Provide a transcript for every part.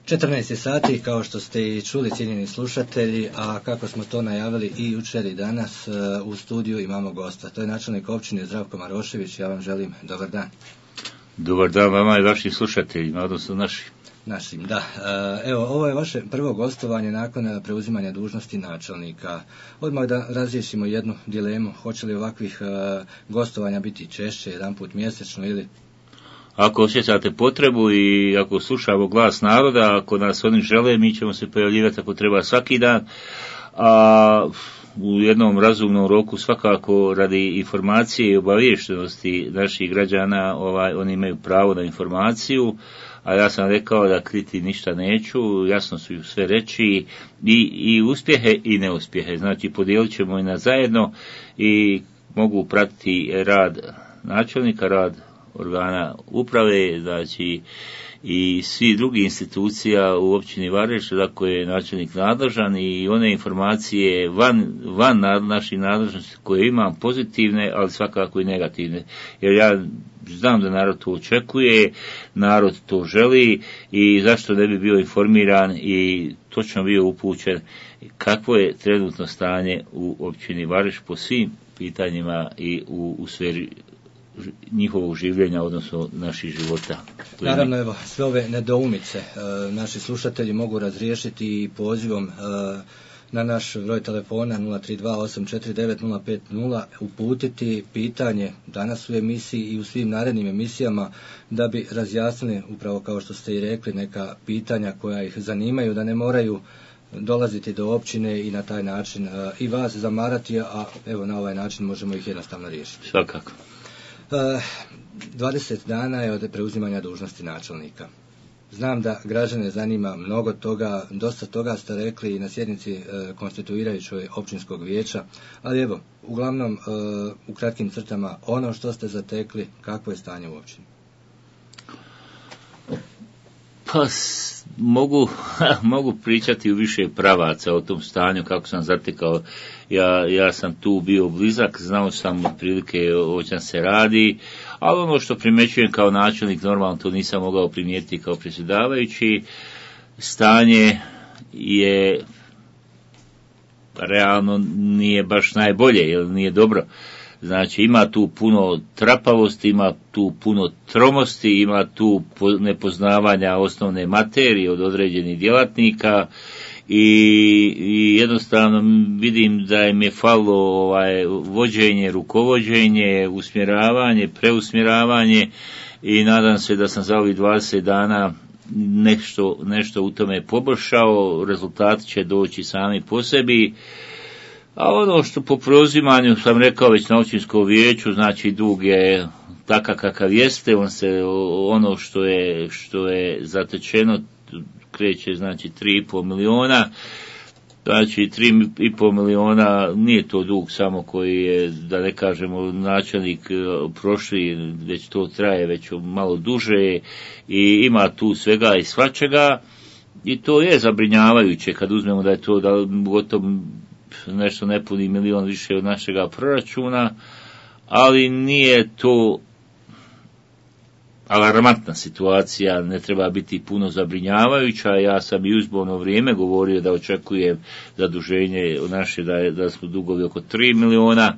14 sati, kao što ste i čuli, cijenjeni slušatelji, a kako smo to najavili i jučer i danas, u studiju imamo gosta. To je načelnik općine Zdravko Marošević. Ja vam želim dobar dan. Dobar dan vama i vašim slušateljima, odnosno našim, da. Evo, ovo je vaše prvo gostovanje nakon preuzimanja dužnosti načelnika. Odmah da razriješimo jednu dilemu. Hoće li ovakvih gostovanja biti češće, jedanput mjesečno ili... Ako osjećate potrebu i ako slušamo glas naroda, ako nas oni žele, mi ćemo se pojavljivati ako treba svaki dan, a u jednom razumnom roku svakako radi informacije i obaviještenosti naših građana, oni imaju pravo na informaciju, a ja sam rekao da kriti ništa neću, jasno su sve reći i uspjehe i neuspjehe, znači podijelit ćemo i na zajedno i mogu pratiti rad načelnika, rad organa uprave, znači i svi drugi institucija u općini Vareš, za koje je načelnik nadležan i one informacije van naših nadležnosti koje imam pozitivne, ali svakako i negativne. Jer ja znam da narod to očekuje, narod to želi i zašto ne bi bio informiran i točno bio upućen kakvo je trenutno stanje u općini Vareš po svim pitanjima i u sferi njihovog življenja, odnosno naših života. Naravno, evo, sve ove nedoumice naši slušatelji mogu razriješiti pozivom na naš broj telefona 032-849-050, uputiti pitanje danas u emisiji i u svim narednim emisijama da bi razjasnili, upravo kao što ste i rekli, neka pitanja koja ih zanimaju, da ne moraju dolaziti do općine i na taj način i vas zamarati, a evo na ovaj način možemo ih jednostavno riješiti. Svakako. 20 dana je od preuzimanja dužnosti načelnika. Znam da građane zanima mnogo toga, dosta toga ste rekli i na sjednici konstituirajućoj općinskog vijeća, ali evo, uglavnom u kratkim crtama ono što ste zatekli, kakvo je stanje u općini? Pa mogu pričati u više pravaca o tom stanju kako sam zatekao. Ja sam tu bio blizak, znao sam otprilike o čem se radi, ali ono što primjećujem kao načelnik, normalno to nisam mogao primijetiti kao predsjedavajući. Stanje je realno nije baš najbolje, jer nije dobro. Znači ima tu puno trapavosti, ima tu puno tromosti, ima tu nepoznavanja osnovne materije od određenih djelatnika i jednostavno vidim da im je falilo vođenje, rukovođenje, usmjeravanje, preusmjeravanje i nadam se da sam za ovih 20 dana nešto u tome poboljšao, rezultati će doći sami po sebi. A ono što po preuzimanju sam rekao već na općinskom vijeću, znači dug je takav kakav jeste, ono što je zatečeno kreće znači 3,5 miliona, znači 3,5 miliona nije to dug samo koji je, da ne kažemo, načelnik prošli, već to traje već malo duže i ima tu svega i svačega i to je zabrinjavajuće kad uzmemo da je to gotovo nešto nepuni milion više od našega proračuna, ali nije to alarmantna situacija, ne treba biti puno zabrinjavajuća. Ja sam i u izborno vrijeme govorio da očekujem zaduženje naše, da smo dugovi oko 3 miliona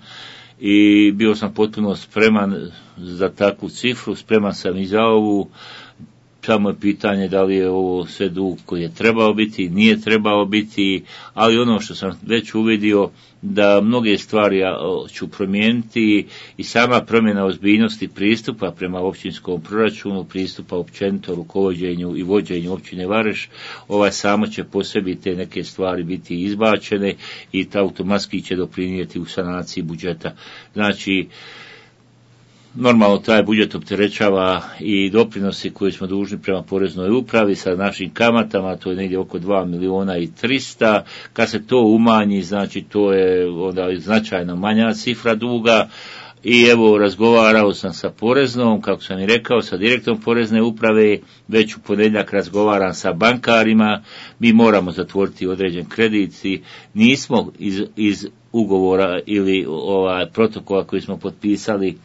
i bio sam potpuno spreman za takvu cifru, spreman sam i za ovu. Samo je pitanje da li je ovo sve dug koji je trebao biti, nije trebao biti, ali ono što sam već uvidio da mnoge stvari ću promijeniti i sama promjena ozbiljnosti pristupa prema općinskom proračunu, pristupa općenito rukovođenju i vođenju općine Vareš, samo će po sebi te neke stvari biti izbačene i ta automatski će doprinijeti u sanaciji budžeta. Znači, normalno taj budžet opterećava i doprinosi koji smo dužni prema poreznoj upravi sa našim kamatama, to je negdje oko 2 miliona i 300, kad se to umanji, znači to je onda značajno manja cifra duga i evo razgovarao sam sa poreznom, kako sam i rekao, sa direktorom porezne uprave, već u ponedjeljak razgovaram sa bankarima, mi moramo zatvoriti određen kredit i nismo iz ugovora ili protokola koji smo potpisali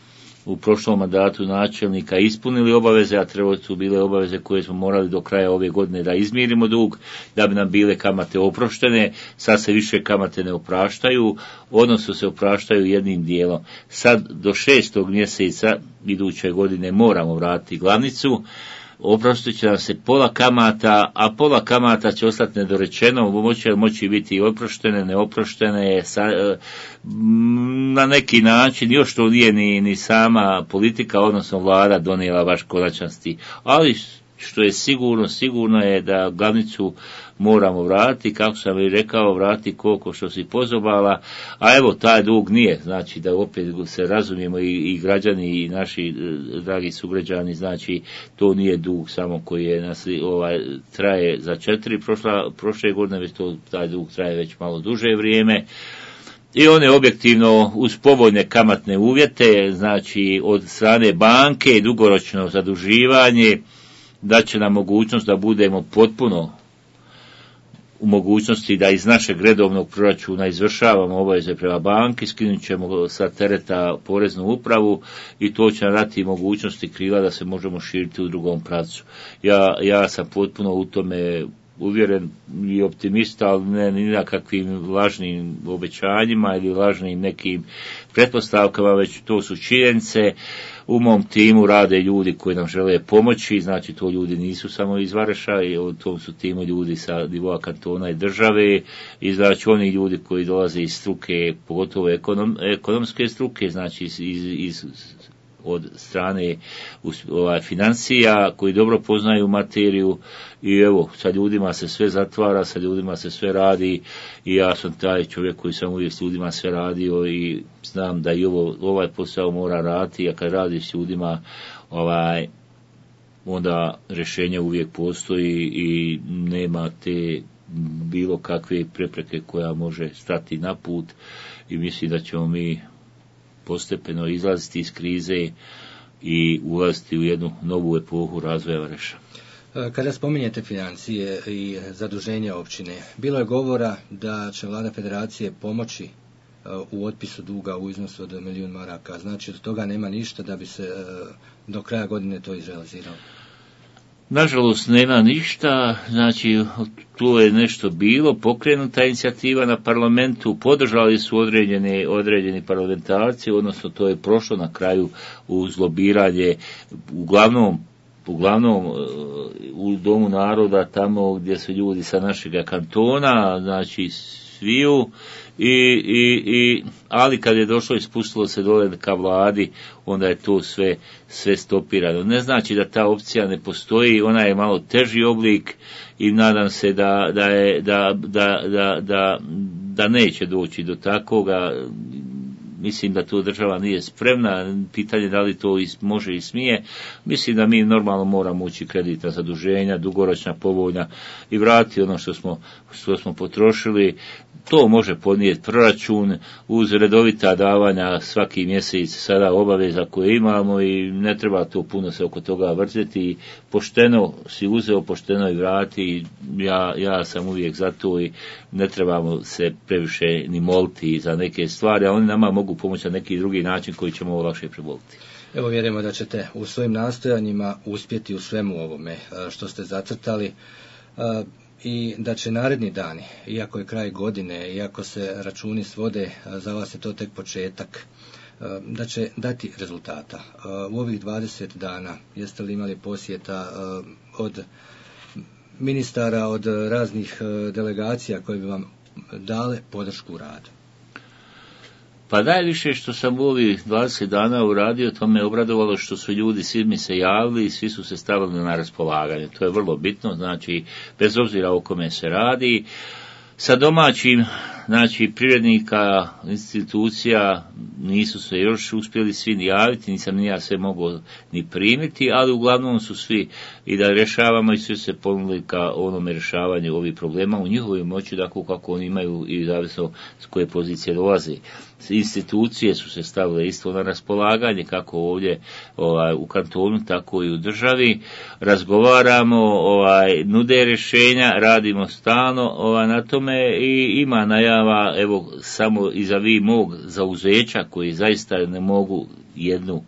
u prošlom mandatu načelnika ispunili obaveze, a trebalo su bile obaveze koje smo morali do kraja ove godine da izmirimo dug, da bi nam bile kamate oproštene. Sad se više kamate ne opraštaju, odnosno se opraštaju jednim dijelom. Sad do 6. mjeseca iduće godine moramo vratiti glavnicu, oprostit će nam se pola kamata, a pola kamata će ostati nedorečeno, moći biti oproštene, neoproštene, na neki način, još to nije ni sama politika, odnosno vlada donijela baš konačnosti. Ali što je sigurno je da glavnicu moramo vratiti, kako sam i rekao, vratiti koliko što si pozobala, a evo taj dug nije, znači da opet se razumijemo i građani i naši dragi sugrađani, znači to nije dug samo koji je traje za 4 prošle godine, već taj dug traje već malo duže vrijeme. I on je objektivno uz povoljne kamatne uvjete, znači od strane banke, dugoročno zaduživanje, da će nam mogućnost da budemo potpuno u mogućnosti da iz našeg redovnog proračuna izvršavamo obaveze prema banki, skinut ćemo sa tereta poreznu upravu i to će nam dati mogućnosti krila da se možemo širiti u drugom pravcu. Ja sam potpuno u tome uvjeren i optimista, ali ne ni na kakvim lažnim obećanjima ili lažnim nekim pretpostavkama, već to su činjenice. U mom timu rade ljudi koji nam žele pomoći, znači to ljudi nisu samo iz Vareša, i u tom su timu ljudi sa nivoa kantona i države, i znači oni ljudi koji dolaze iz struke, pogotovo ekonomske struke, znači od strane financija, koji dobro poznaju materiju, i evo, sa ljudima se sve zatvara, sa ljudima se sve radi, i ja sam taj čovjek koji sam uvijek s ljudima sve radio i znam da i ovaj posao mora raditi, a kad radiš s ljudima, onda rješenje uvijek postoji i nema te bilo kakve prepreke koja može stati na put, i mislim da ćemo mi postepeno izlaziti iz krize i ulaziti u jednu novu epohu razvoja Vareša. Kada spominjete financije i zaduženje općine, bilo je govora da će vlada federacije pomoći u otpisu duga u iznosu od 1 milijun maraka, znači od toga nema ništa da bi se do kraja godine to izrealiziralo. Nažalost nema ništa, znači tu je nešto bilo, pokrenuta inicijativa na parlamentu, podržali su određeni parlamentarci, odnosno to je prošlo na kraju uz lobiranje, uglavnom u Domu naroda, tamo gdje su ljudi sa našega kantona, znači sviju, ali kad je došlo i spustilo se dole ka vladi, onda je to sve stopirano. Ne znači da ta opcija ne postoji, ona je malo teži oblik i nadam se da neće doći do takoga. Mislim da to država nije spremna, pitanje da li to može i smije. Mislim da mi normalno moramo ući kreditna zaduženja, dugoročna, povoljna, i vratiti ono što smo potrošili. To može podnijeti proračun uz redovita davanja svaki mjesec, sada obaveza koje imamo, i ne treba to puno se oko toga vrtiti. Pošteno si uzeo, pošteno i vrati. Ja sam uvijek za to i ne trebamo se previše ni moliti za neke stvari, a oni nama mogu pomoći na neki drugi način koji ćemo lakše preboliti. Evo, vjerujemo da ćete u svojim nastojanjima uspjeti u svemu ovome što ste zacrtali, i da će naredni dani, iako je kraj godine, iako se računi svode, za vas je to tek početak, da će dati rezultata. U ovih 20 dana jeste li imali posjeta od ministara, od raznih delegacija koje bi vam dale podršku u radu? Pa najviše što sam u ovih 20 dana uradio, to me obradovalo što su ljudi, svi mi se javili i svi su se stavili na raspolaganje. To je vrlo bitno, znači bez obzira o kome se radi. Sa domaćim, znači privrednika, institucija, nisu se još uspjeli svi ni javiti, nisam ni ja sve mogao ni primiti, ali uglavnom su svi i da rješavamo, i svi se ponudili ka onome rješavanju ovih problema u njihovoj moći, dakle kako oni imaju i zavisno s koje pozicije dolaze. institucije su se stavile isto na raspolaganje, kako ovdje u kantonu, tako i u državi. Razgovaramo, nude rješenja, radimo stalno na tome i ima najava, evo samo izavi mog zauzeća koji zaista ne mogu jednu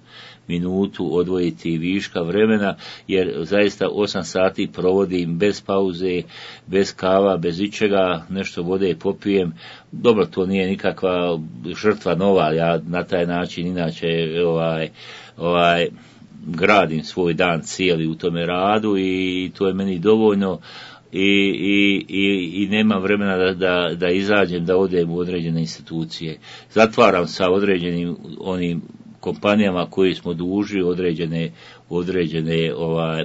minutu odvojiti viška vremena, jer zaista 8 sati provodim bez pauze, bez kava, bez ičega, nešto vode popijem. Dobro, to nije nikakva žrtva nova, ja na taj način inače gradim svoj dan cijeli u tome radu i to je meni dovoljno. I nema vremena da izađem, da odem u određene institucije. Zatvaram sa određenim onim kompanijama koji smo dužni određene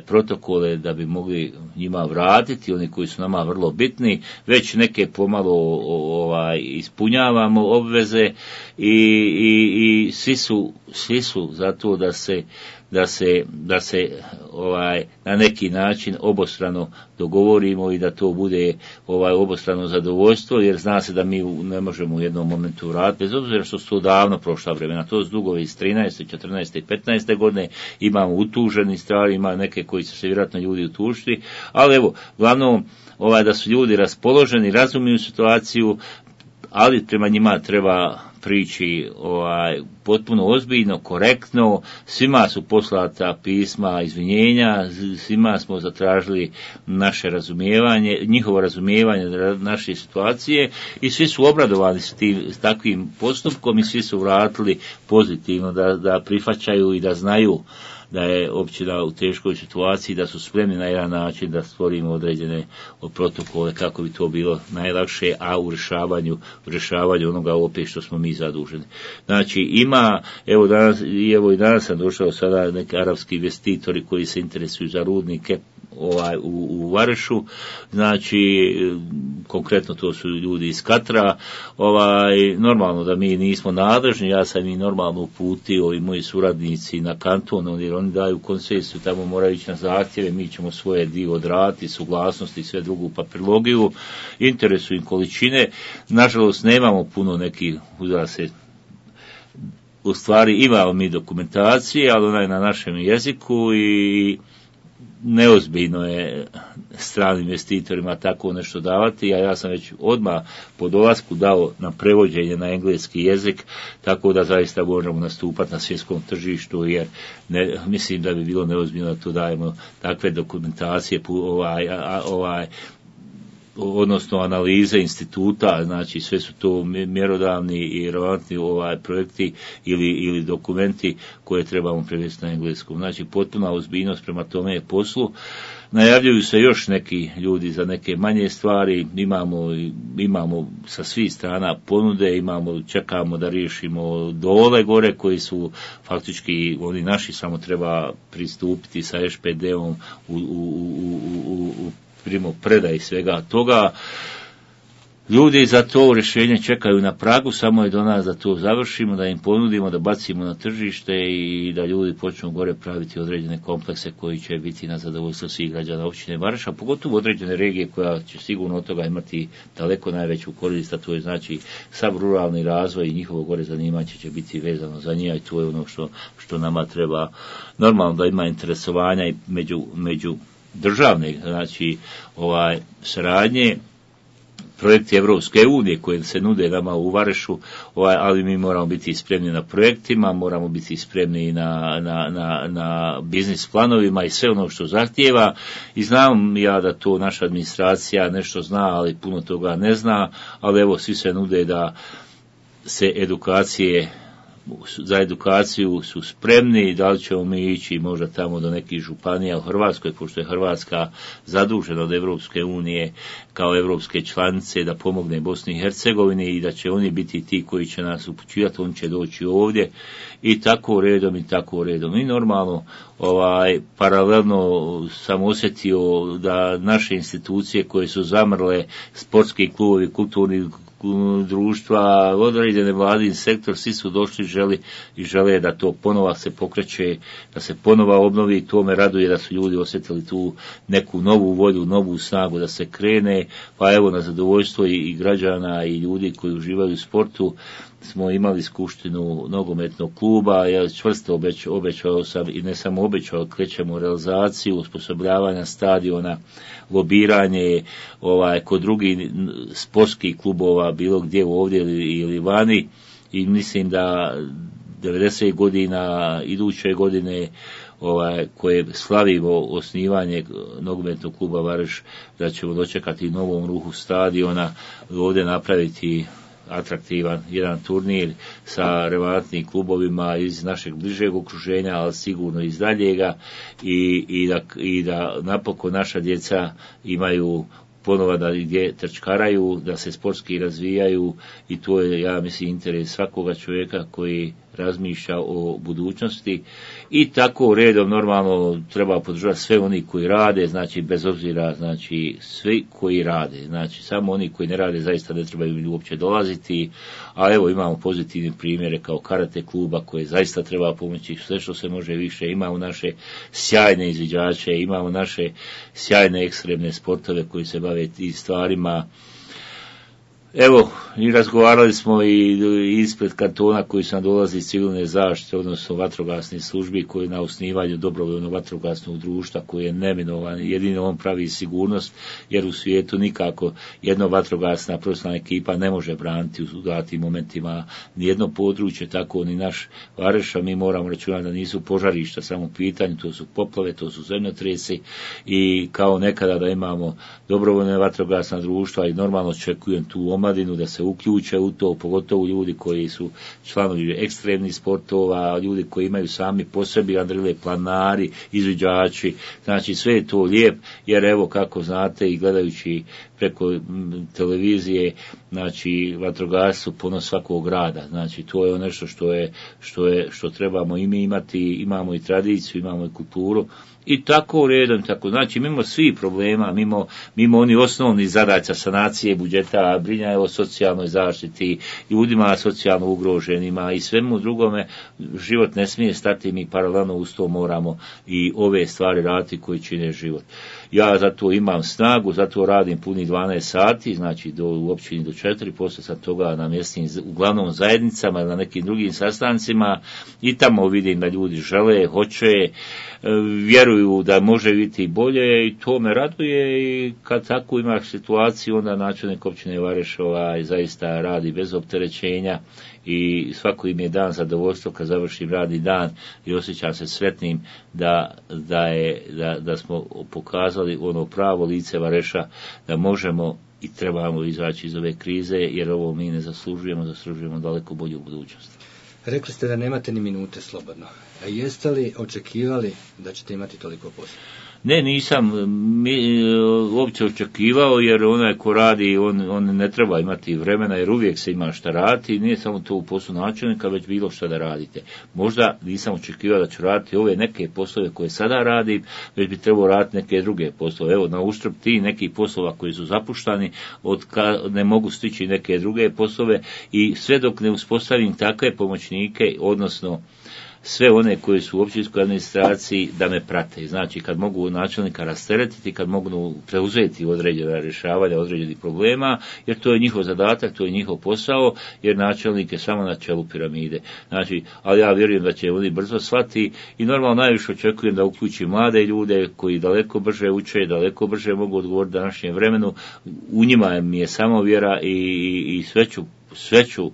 protokole da bi mogli njima vratiti, oni koji su nama vrlo bitni, već neke pomalo ispunjavamo obveze i svi su za to da se na neki način obostrano dogovorimo i da to bude obostrano zadovoljstvo, jer zna se da mi ne možemo u jednom momentu vratiti, bez obzira što su to davno prošla vremena, to su dugovi iz 13., 14. i 15. godine, imamo utuženi stvari, ima neke koji će se vjerojatno ljudi utužiti, ali evo, glavno da su ljudi raspoloženi, razumiju situaciju, ali prema njima treba prići potpuno ozbiljno, korektno, svima su poslata pisma izvinjenja, svima smo zatražili naše razumijevanje, njihovo razumijevanje naše situacije i svi su obradovani s takvim postupkom i svi su vratili pozitivno da prihvaćaju i da znaju da je općina u teškoj situaciji, da su spremni na jedan način da stvorimo određene protokole kako bi to bilo najlakše, a u rješavanju onoga opet što smo mi zaduženi. Znači ima, evo i danas sam došao sada neki arapski investitori koji se interesuju za rudnike u Varešu, znači konkretno to su ljudi iz Katra, normalno da mi nismo nadležni, ja sam i normalno uputio i moji suradnici na kanton, jer oni daju koncesiju, tamo moraju ići na zahtjeve, mi ćemo svoje dio odraditi, suglasnosti i sve drugu papirologiju, interesu im količine, nažalost nemamo puno nekih, u stvari imamo mi dokumentacije, ali ona je na našem jeziku i neozbiljno je stranim investitorima tako nešto davati, a ja sam već odmah po dolasku dao na prevođenje na engleski jezik, tako da zaista možemo nastupati na svjetskom tržištu, jer mislim da bi bilo neozbiljno da to dajemo takve dokumentacije, odnosno analize instituta, znači sve su to mjerodavni i relevantni projekti ili dokumenti koje trebamo prevesti na engleskom. Znači potpuna ozbiljnost prema tome poslu. Najavljuju se još neki ljudi za neke manje stvari, imamo sa svih strana ponude, čekamo da riješimo dole gore koji su faktički oni naši, samo treba pristupiti sa ŠPD-om u predaj svega toga. Ljudi za to rješenje čekaju na pragu, samo je do nas da to završimo, da im ponudimo, da bacimo na tržište i da ljudi počnu gore praviti određene komplekse koji će biti na zadovoljstvo svih građana općine Vareša, pogotovo određene regije koja će sigurno od toga imati daleko najveću korist, a to je znači sav ruralni razvoj i njihovo gore zanimanje će biti vezano za njih i to je ono što nama treba. Normalno da ima interesovanja i među državne, znači saradnje, projekti Evropske unije koje se nude nama u Varešu, ali mi moramo biti spremni na projektima, moramo biti spremni na biznis planovima i sve ono što zahtijeva i znam ja da to naša administracija nešto zna, ali puno toga ne zna, ali evo svi se nude da se za edukaciju su spremni, da li ćemo mi ići možda tamo do nekih županija u Hrvatskoj, pošto je Hrvatska zadužena od Evropske unije kao evropske članice da pomogne Bosni i Hercegovini i da će oni biti ti koji će nas upućivati, oni će doći ovdje i tako redom. I normalno paralelno sam osjetio da naše institucije koje su zamrle, sportski klubovi, kulturni društva, određene vladin sektor, svi su došli i žele da to ponova se pokreće, da se ponova obnovi i to me raduje da su ljudi osjetili tu neku novu volju, novu snagu da se krene, pa evo na zadovoljstvo i građana i ljudi koji uživaju u sportu, smo imali skupštinu nogometnog kluba, ja čvrsto obećao sam i ne samo obećao, krećemo u realizaciju, osposobljavanja stadiona, lobiranje kod drugih sportskih klubova, bilo gdje ovdje ili vani, i mislim da 90 godina iduće godine koje slavimo osnivanje nogometnog kluba Vareš, da ćemo dočekati novom ruhu stadiona, ovdje napraviti atraktivan jedan turnir sa relevantnim klubovima iz našeg bližeg okruženja, ali sigurno iz daljega, i da napokon naša djeca imaju ponovo da gdje trčkaraju, da se sportski razvijaju, i to je, ja mislim, interes svakoga čovjeka koji razmišlja o budućnosti. I tako redom normalno treba podržati sve oni koji rade, znači bez obzira, znači svi koji rade, znači samo oni koji ne rade zaista ne trebaju uopće dolaziti, a evo imamo pozitivne primjere kao karate kluba koje zaista treba pomoći sve što se može više, imamo naše sjajne izviđače, imamo naše sjajne ekstremne sportove koji se bave tim stvarima. Evo, i razgovarali smo i ispred kantona koji su nam dolazi iz civilne zaštite, odnosno vatrogasne službi, koji na osnivanju dobrovoljnog vatrogasnog društva, koji je neminovan, jedino on pravi sigurnost, jer u svijetu nikako jedna vatrogasna profesionalna ekipa ne može braniti u datim momentima nijedno područje, tako ni naš Vareš, a mi moramo računati da nisu požarišta samo u pitanju, to su poplave, to su zemljotresi, i kao nekada da imamo dobrovoljne vatrogasna društva, i normalno očekujem tu omladinu da se uključe u to, pogotovo ljudi koji su članovi ekstremnih sportova, ljudi koji imaju sami po sebi adrenalin, planari, izviđači, znači sve je to lijep, jer evo kako znate i gledajući preko televizije, znači vatrogasci ponos svakog grada, znači to je nešto što trebamo i mi imati, imamo i tradiciju, imamo i kulturu, i tako redom, tako, znači mimo svih problema, mimo oni osnovni zadaća sanacije budžeta, brinjanja o socijalnoj zaštiti, ljudima socijalno ugroženima i svemu drugome, život ne smije stati, mi paralelno uz to moramo i ove stvari raditi koji čine život. Ja zato imam snagu, zato radim punih 12 sati, znači u općini do 4, poslije sam toga na mjesnim, uglavnom zajednicama ili na nekim drugim sastancima, i tamo vidim da ljudi žele, hoće, vjeruju da može biti bolje, i to me raduje, i kad tako imaš situaciju, onda načelnik općine Vareš zaista radi bez opterećenja, i svako im je dan zadovoljstvo kad završim radni dan i osjećam se sretnim da smo pokazali ono pravo lice Vareša, da možemo i trebamo izaći iz ove krize, jer ovo mi ne zaslužujemo daleko bolju budućnost. Rekli ste da nemate ni minute slobodno. A jeste li očekivali da ćete imati toliko posla? Ne, nisam uopće očekivao, jer onaj ko radi, on ne treba imati vremena, jer uvijek se ima šta raditi, nije samo to u poslu načelnika, već bilo šta da radite. Možda nisam očekivao da ću raditi ove neke poslove koje sada radim, već bi trebao raditi neke druge poslove. Evo, na uštrb ti nekih poslova koji su zapuštani, ne mogu stići neke druge poslove, i sve dok ne uspostavim takve pomoćnike, odnosno sve one koji su u općinskoj administraciji, da me prate. Znači, kad mogu načelnika rasteretiti, kad mogu preuzeti određena rješavanja određenih problema, jer to je njihov zadatak, to je njihov posao, jer načelnik je samo na čelu piramide. Znači, ali ja vjerujem da će oni brzo shvati, i normalno najviše očekujem da uključi mlade ljude koji daleko brže uče, daleko brže mogu odgovoriti današnjem vremenu. U njima mi je samo vjera, i sve ću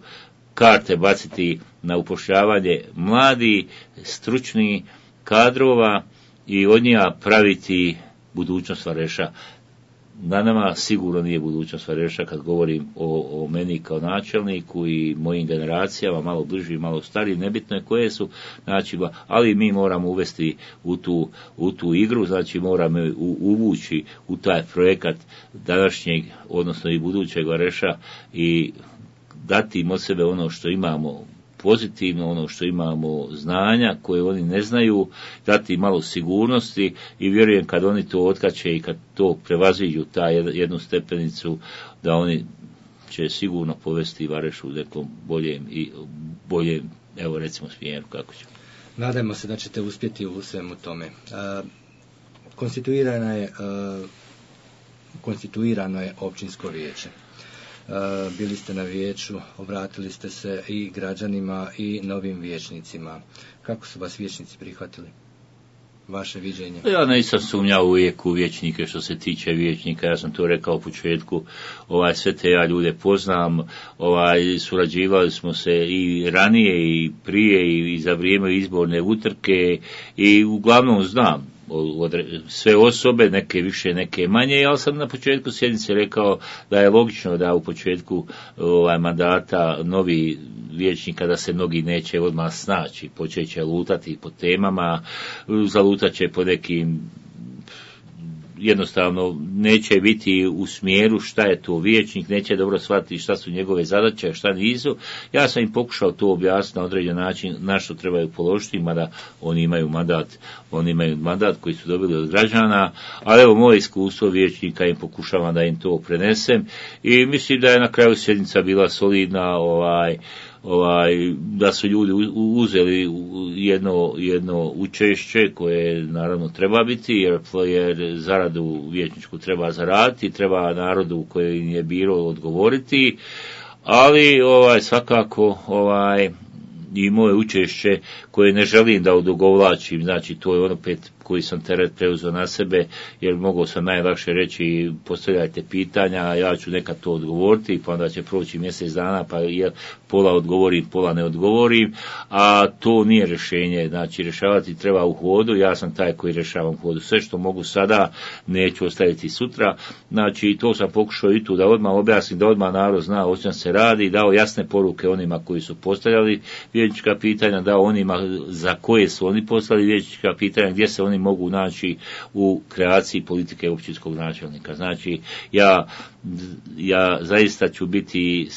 karte baciti na upošljavanje mladi, stručni kadrova, i od njega praviti budućnost Vareša. Na nama sigurno nije budućnost Vareša kad govorim o meni kao načelniku i mojim generacijama, malo bliži, malo stariji, nebitno je koje su, znači, ali mi moramo uvesti u tu igru, znači moramo uvući u taj projekat današnjeg, odnosno i budućeg Vareša, i dati im od sebe ono što imamo pozitivno, ono što imamo znanja koje oni ne znaju, dati malo sigurnosti, i vjerujem kad oni to otkače i kad to prevaziđu ta jednu stepenicu, da oni će sigurno povesti Vareš u nekom boljem, evo recimo, smjeru, kako će. Nadajmo se da ćete uspjeti u svemu tome. Konstituirano je općinsko vijeće. bili ste na vijeću, obratili ste se i građanima i novim vijećnicima. Kako su vas vijećnici prihvatili? Vaše viđenje? Ja nisam sumnjao uvijek u vijećnike što se tiče vijećnika, ja sam to rekao u početku, sve te ja ljude poznam, surađivali smo se i ranije i prije i za vrijeme izborne utrke i uglavnom znam sve osobe, neke više, neke manje, ali sam na početku sjednice rekao da je logično da u početku mandata novi vijećnika da se mnogi neće odmah snaći, počet će lutati po temama, zalutat će po nekim, jednostavno neće biti u smjeru šta je to vijećnik, neće dobro shvatiti šta su njegove zadaće, šta nisu. Ja sam im pokušao to objasniti na određen način na što trebaju položiti, mada oni imaju mandat koji su dobili od građana, ali evo moje iskustvo vijećnika im pokušavam da im to prenesem i mislim da je na kraju sjednica bila solidna, da su ljudi uzeli jedno učešće koje naravno treba biti jer zaradu vijećničku treba zaraditi, treba narodu koji im je birao odgovoriti, ali svakako i moje učešće koje ne želim da odugovlačim, znači to je opet koji sam teret preuzeo na sebe, jer mogao sam najlakše reći postavljajte pitanja, ja ću nekad to odgovoriti, pa onda će proći mjesec dana, pa pola odgovorim, pola ne odgovorim, a to nije rješenje, znači rješavati treba u hodu, ja sam taj koji rješavam u hodu, sve što mogu sada neću ostaviti sutra, znači to sam pokušao i tu da odmah objasnim, da odmah narod zna o čem se radi, dao jasne poruke onima koji su postavljali vijećnička pitanja, dao onima za koje su oni poslali vijećnička pitanja, gdje se oni mogu naći u kreaciji politike općinskog načelnika. Znači, ja zaista ću biti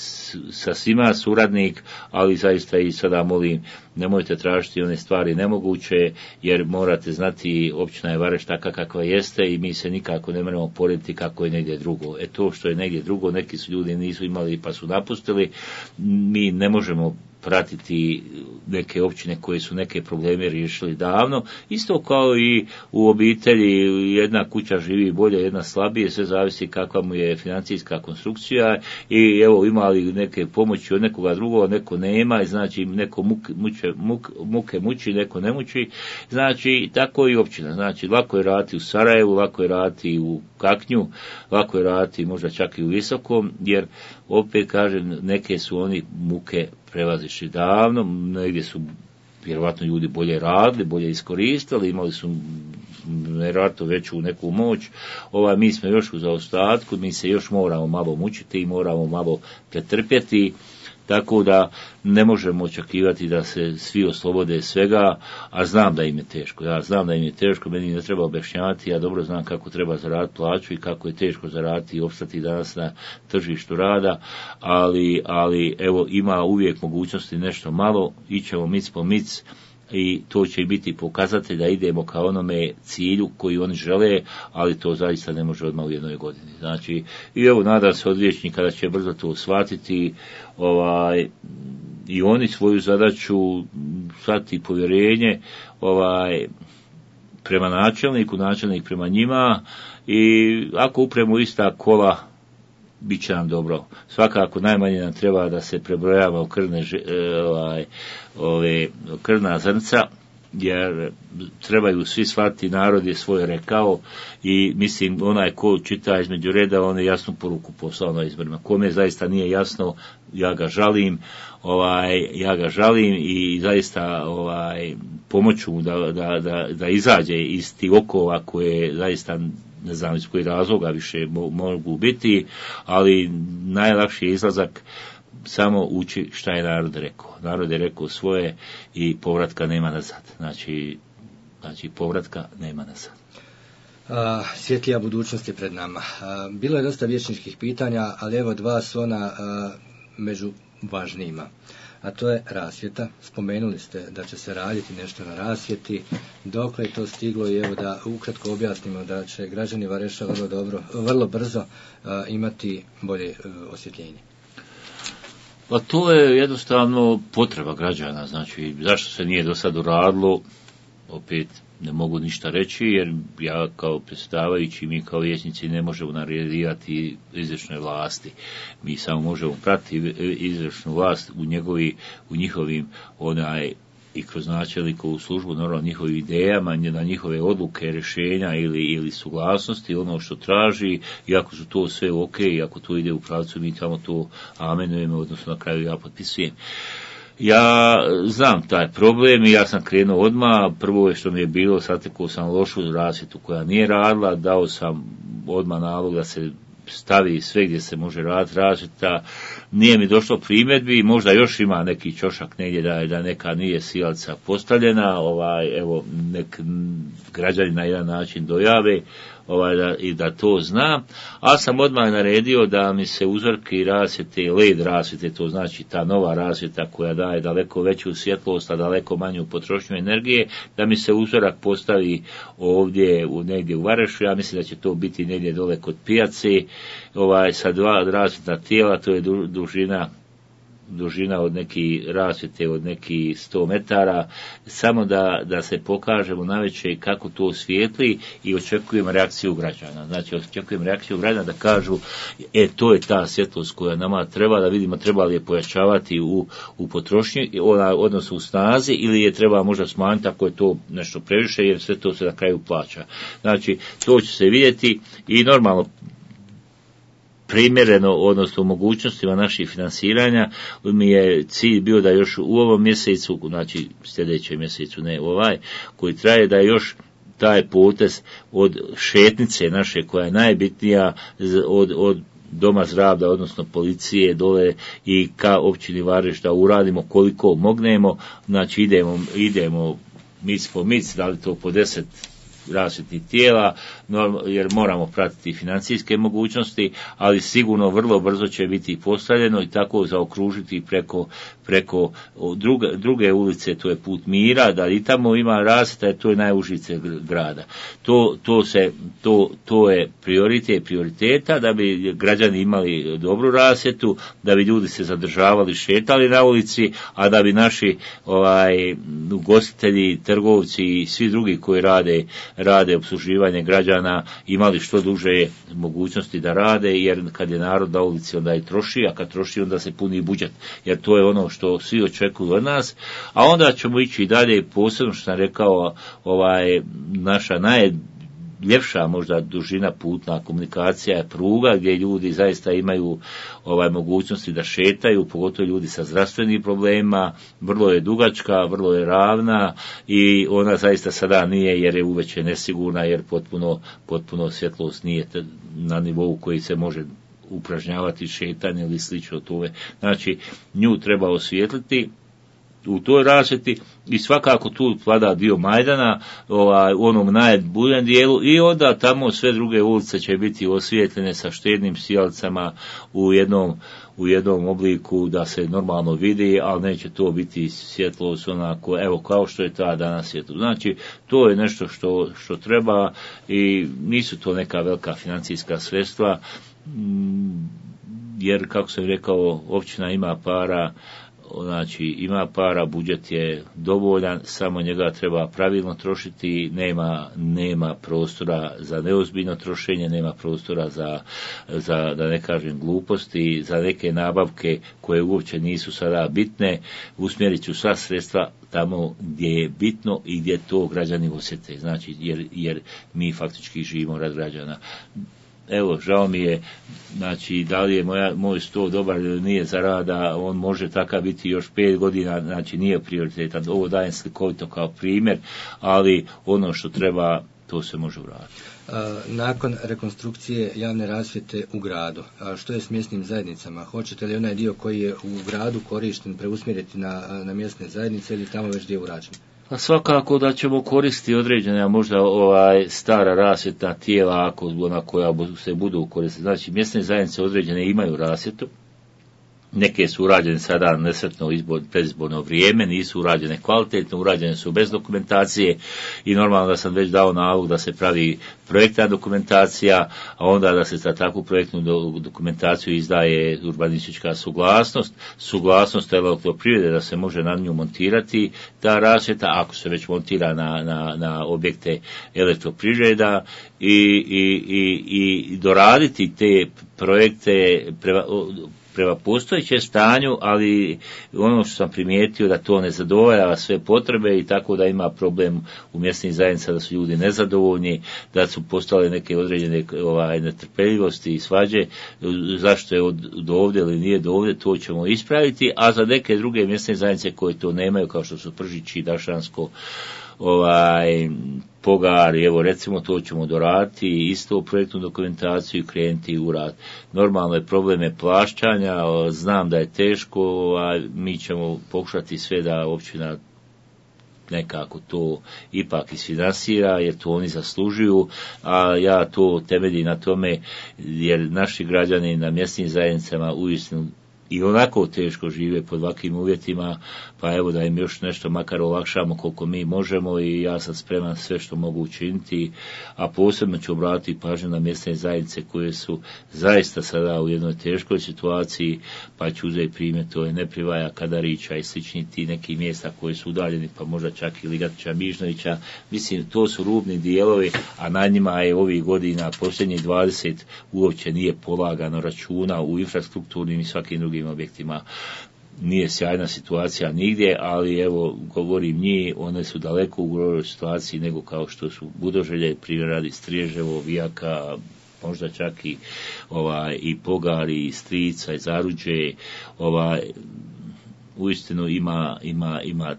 sa svima suradnik, ali zaista i sada molim, nemojte tražiti one stvari nemoguće, jer morate znati, općina je Vareš taka kakva jeste i mi se nikako ne moramo porediti kako je negdje drugo. To što je negdje drugo, neki su ljudi nisu imali pa su napustili, mi ne možemo pratiti neke općine koje su neke probleme riješili davno, isto kao i u obitelji, jedna kuća živi bolje, jedna slabije, sve zavisi kakva mu je financijska konstrukcija i evo imali neke pomoći od nekoga drugoga, neko nema, znači neko muke muči, neko ne muči, znači tako i općina, znači lako je raditi u Sarajevu, lako je raditi u Kaknju, lako je raditi možda čak i u Visokom, jer opet kažem, neke su oni muke prevazišli davno, negdje su vjerovatno ljudi bolje radili, bolje iskoristili, imali su vjerojatno veću neku moć, mi smo još u zaostatku, mi se još moramo malo mučiti i moramo malo pretrpjeti, tako da ne možemo očekivati da se svi oslobode svega, a znam da im je teško. Ja znam da im je teško, meni ne treba objašnjavati, ja dobro znam kako treba zaraditi plaću i kako je teško zaraditi i opstati danas na tržištu rada, ali evo ima uvijek mogućnosti nešto malo, ićemo mic po mic, i to će biti pokazatelj da idemo ka onome cilju koji oni žele, ali to zaista ne može odmah u jednoj godini. Znači, i evo nadam se od vijećnika da će brzo to shvatiti, i oni svoju zadaću shvatiti povjerenje, prema načelniku, načelnik prema njima, i ako upremo ista kola, bit će nam dobro. Svakako najmanje nam treba da se prebrojava u krvna zrnca, jer trebaju svi shvatiti, narod je svoje rekao i mislim onaj ko čita između reda, on je jasnu poruku poslao na izborima. Kome zaista nije jasno, ja ga žalim i zaista pomoću mu da izađe iz tih okova koje zaista ne znam iz kojih razloga više mogu biti, ali najlakši je izlazak samo uči šta je narod rekao. Narod je rekao svoje i povratka nema nazad. Znači povratka nema nazad. Svjetlija budućnost je pred nama. Bilo je dosta vijećničkih pitanja, ali evo dva su ona među važnijima. A to je rasvjeta. Spomenuli ste da će se raditi nešto na rasvjeti. Dokle je to stiglo i evo da ukratko objasnimo da će građani Vareša vrlo brzo imati bolje osvjetljenje. Pa to je jednostavno potreba građana, znači zašto se nije do sad uradilo, opet ne mogu ništa reći, jer ja kao predsjedavajući, mi kao vijećnici ne možemo naređivati izvršnoj vlasti. Mi samo možemo pratiti izvršnu vlast u njihovim i kroz načelnikovu službu, normalno njihovim idejama, na njihove odluke, rješenja ili suglasnosti, ono što traži, i ako su to sve ok, i ako to ide u pravcu, mi tamo to amenujemo, odnosno na kraju ja potpisujem. Ja znam taj problem i ja sam krenuo odmah. Prvo je što mi je bilo, satekao sam lošu rasvjetu koja nije radila, dao sam odmah nalog da se stavi sve gdje se može raditi rasvjeta. Nije mi došlo primjedbi, možda još ima neki ćošak negdje da neka nije sijalica postavljena, evo nek građani na jedan način dojave i da to zna, a sam odmah naredio da mi se uzorki rasvjete, LED rasvjete, to znači ta nova rasvjeta koja daje daleko veću svjetlost, a daleko manju potrošnju energije, da mi se uzorak postavi ovdje negdje u Varešu. Ja mislim da će to biti negdje dole kod pijace, sa 2 rasvjetna tijela, to je dužina od neki rasvjete od neki 100 metara, samo da se pokažemo navečer kako to svijetli, i očekujem reakciju građana. Znači, očekujem reakciju građana da kažu, to je ta svjetlost koja nama treba, da vidimo treba li je pojačavati u potrošnji, odnosno u snazi, ili je treba možda smanjiti ako je to nešto previše, jer sve to se na kraju plaća. Znači, to će se vidjeti i normalno primjereno, odnosno mogućnostima naših financiranja, mi je cilj bio da još u ovom mjesecu, znači sljedećem mjesecu, ne koji traje, da još taj potez od šetnice naše, koja je najbitnija od Doma zdravlja, odnosno policije dole i ka općini Vareš, da uradimo koliko mognemo. Znači idemo mic po mic, da li to po 10 rasvjetnih tijela, jer moramo pratiti financijske mogućnosti, ali sigurno vrlo brzo će biti postavljeno i tako zaokružiti preko druge ulice, to je Put mira, da i tamo ima rasvjeta, to je najužice grada. To je prioriteta, da bi građani imali dobru rasvjetu, da bi ljudi se zadržavali, šetali na ulici, a da bi naši ugostitelji, trgovci i svi drugi koji rade obsluživanje građana imali što duže mogućnosti da rade, jer kad je narod na ulici onda i troši, a kad troši onda se puni budžet, jer to je ono što svi očekuju od nas. A onda ćemo ići i dalje, posebno što sam rekao, naša najljepša možda dužina putna komunikacija je pruga, gdje ljudi zaista imaju mogućnosti da šetaju, pogotovo ljudi sa zdravstvenim problemima. Vrlo je dugačka, vrlo je ravna i ona zaista sada nije, jer je uveće nesigurna, jer potpuno svjetlost nije na nivou koji se može upražnjavati šetanje ili slično tome. Znači, nju treba osvijetliti u toj rasvjeti i svakako tu vlada dio Majdana, u onom najboljem dijelu, i onda tamo sve druge ulice će biti osvijetljene sa štednim sijalicama u jednom obliku da se normalno vidi, ali neće to biti svjetlost onako, kao što je ta danas svjetlost. Znači, to je nešto što treba i nisu to neka velika financijska sredstva, jer, kako sam rekao, općina ima para, ima para, budžet je dovoljan, samo njega treba pravilno trošiti, nema prostora za neozbiljno trošenje, nema prostora za da ne kažem gluposti, za neke nabavke koje uopće nisu sada bitne. Usmjerit ću sva sredstva tamo gdje je bitno i gdje to građani osjete, znači jer mi faktički živimo rad građana. Žao mi je, znači, da li je moj sto dobar ili nije za rada, on može takav biti još 5 godina, znači nije prioritetan. Ovo dajem slikovito kao primjer, ali ono što treba, to se može uraditi. Nakon rekonstrukcije javne rasvjete u gradu, što je s mjesnim zajednicama? Hoćete li onaj dio koji je u gradu korišten preusmjeriti na mjesne zajednice ili tamo već dio urađen? A svakako da ćemo koristiti određene možda stara rasvjetna tijela ona koja se budu koristiti. Znači, mjesne zajednice određene imaju rasvjetu, Neke su urađene sada nesretno predizborno vrijeme, nisu urađene kvalitetno, urađene su bez dokumentacije i normalno da sam već dao nalog da se pravi projektna dokumentacija, a onda da se za takvu projektnu dokumentaciju izdaje urbanistička suglasnost Elektroprivrede da se može na nju montirati ta rasvjeta, ako se već montira na objekte Elektroprivreda i doraditi te projekte prema postojećem stanju, ali ono što sam primijetio da to ne zadovoljava sve potrebe i tako da ima problem u mjesnim zajednicama da su ljudi nezadovoljni, da su postale neke određene netrpeljivosti i svađe, zašto je do ovdje ili nije do ovdje, to ćemo ispraviti, a za neke druge mjesne zajednice koje to nemaju, kao što su Pržići, Dašansko, Pogar, evo recimo to ćemo doraditi, isto projektnu dokumentaciju i krenuti u rad. Normalno je probleme plaćanja, znam da je teško, a mi ćemo pokušati sve da općina nekako to ipak isfinansira, jer to oni zaslužuju, a ja to temeljim na tome, jer naši građani na mjesnim zajednicama uistinu i onako teško žive pod ovakvim uvjetima, pa evo da im još nešto makar olakšamo koliko mi možemo i ja sam spreman sve što mogu učiniti, a posebno ću obratiti pažnju na mjesne zajednice koje su zaista sada u jednoj teškoj situaciji, pa ću uzeti primjer, to je Neprivaja, Kadarića i slični ti neki mjesta koji su udaljeni, pa možda čak i Ligatića, Mižnovića, mislim to su rubni dijelovi, a na njima je ovih godina posljednjih 20 uopće nije polagano računa u infrastrukturnim i svakim drugim objektima. Nije sjajna situacija nigdje, ali evo, govorim njih, one su daleko u goroj situaciji nego kao što su Budoželje, primjer radi Striježevo, Vijaka, možda čak i Pogar, i Strica, i Zaruđe, uistinu ima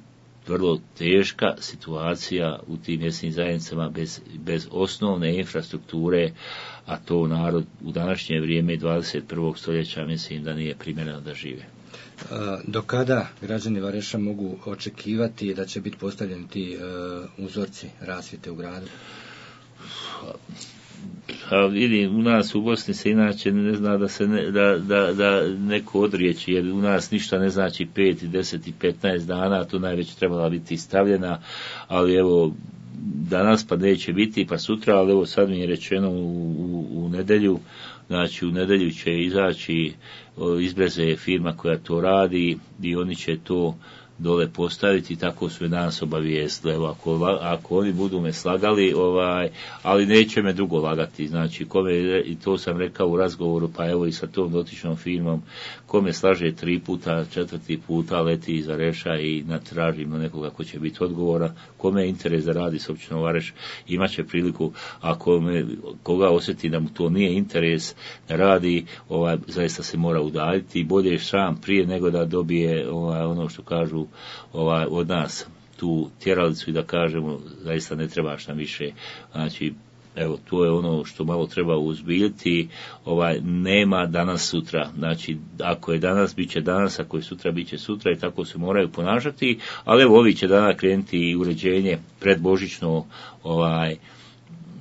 vrlo teška situacija u tim mjesnim zajednicama bez osnovne infrastrukture, a to narod u današnje vrijeme 21. stoljeća mislim da nije primjereno da žive. Do kada građani Vareša mogu očekivati da će biti postavljeni ti uzorci rasvjete u gradu? Vidim, u nas u Bosni se inače ne zna da neko odriječi, jer u nas ništa ne znači 5, 10 i 15 dana, to najveć trebala biti stavljena, ali evo danas pa neće biti, pa sutra, ali evo sad mi je rečeno u nedjelju, znači u nedjelju će izaći iz Breze firma koja to radi i oni će to dole postaviti, tako su me danas obavijestili. Evo, ako oni budu me slagali, ali neće me dugo lagati, znači i to sam rekao u razgovoru, pa evo i sa tom dotičnom firmom, kome slaže 3 puta, 4. puta leti iz Vareša i tražimo nekoga ko će biti odgovora, kome je interes da radi s općinom Vareš, imaće priliku, ako koga osjeti da mu to nije interes da radi, zaista se mora udaljiti, bolje je sam prije nego da dobije ono što kažu od nas tu tjeralicu i da kažemo zaista ne trebaš nam više. Znači evo to je ono što malo treba uzbiljiti, nema danas sutra, znači ako je danas bit će danas, ako je sutra bit će sutra i tako se moraju ponašati, ali evo ovi će dana krenuti i uređenje predbožićno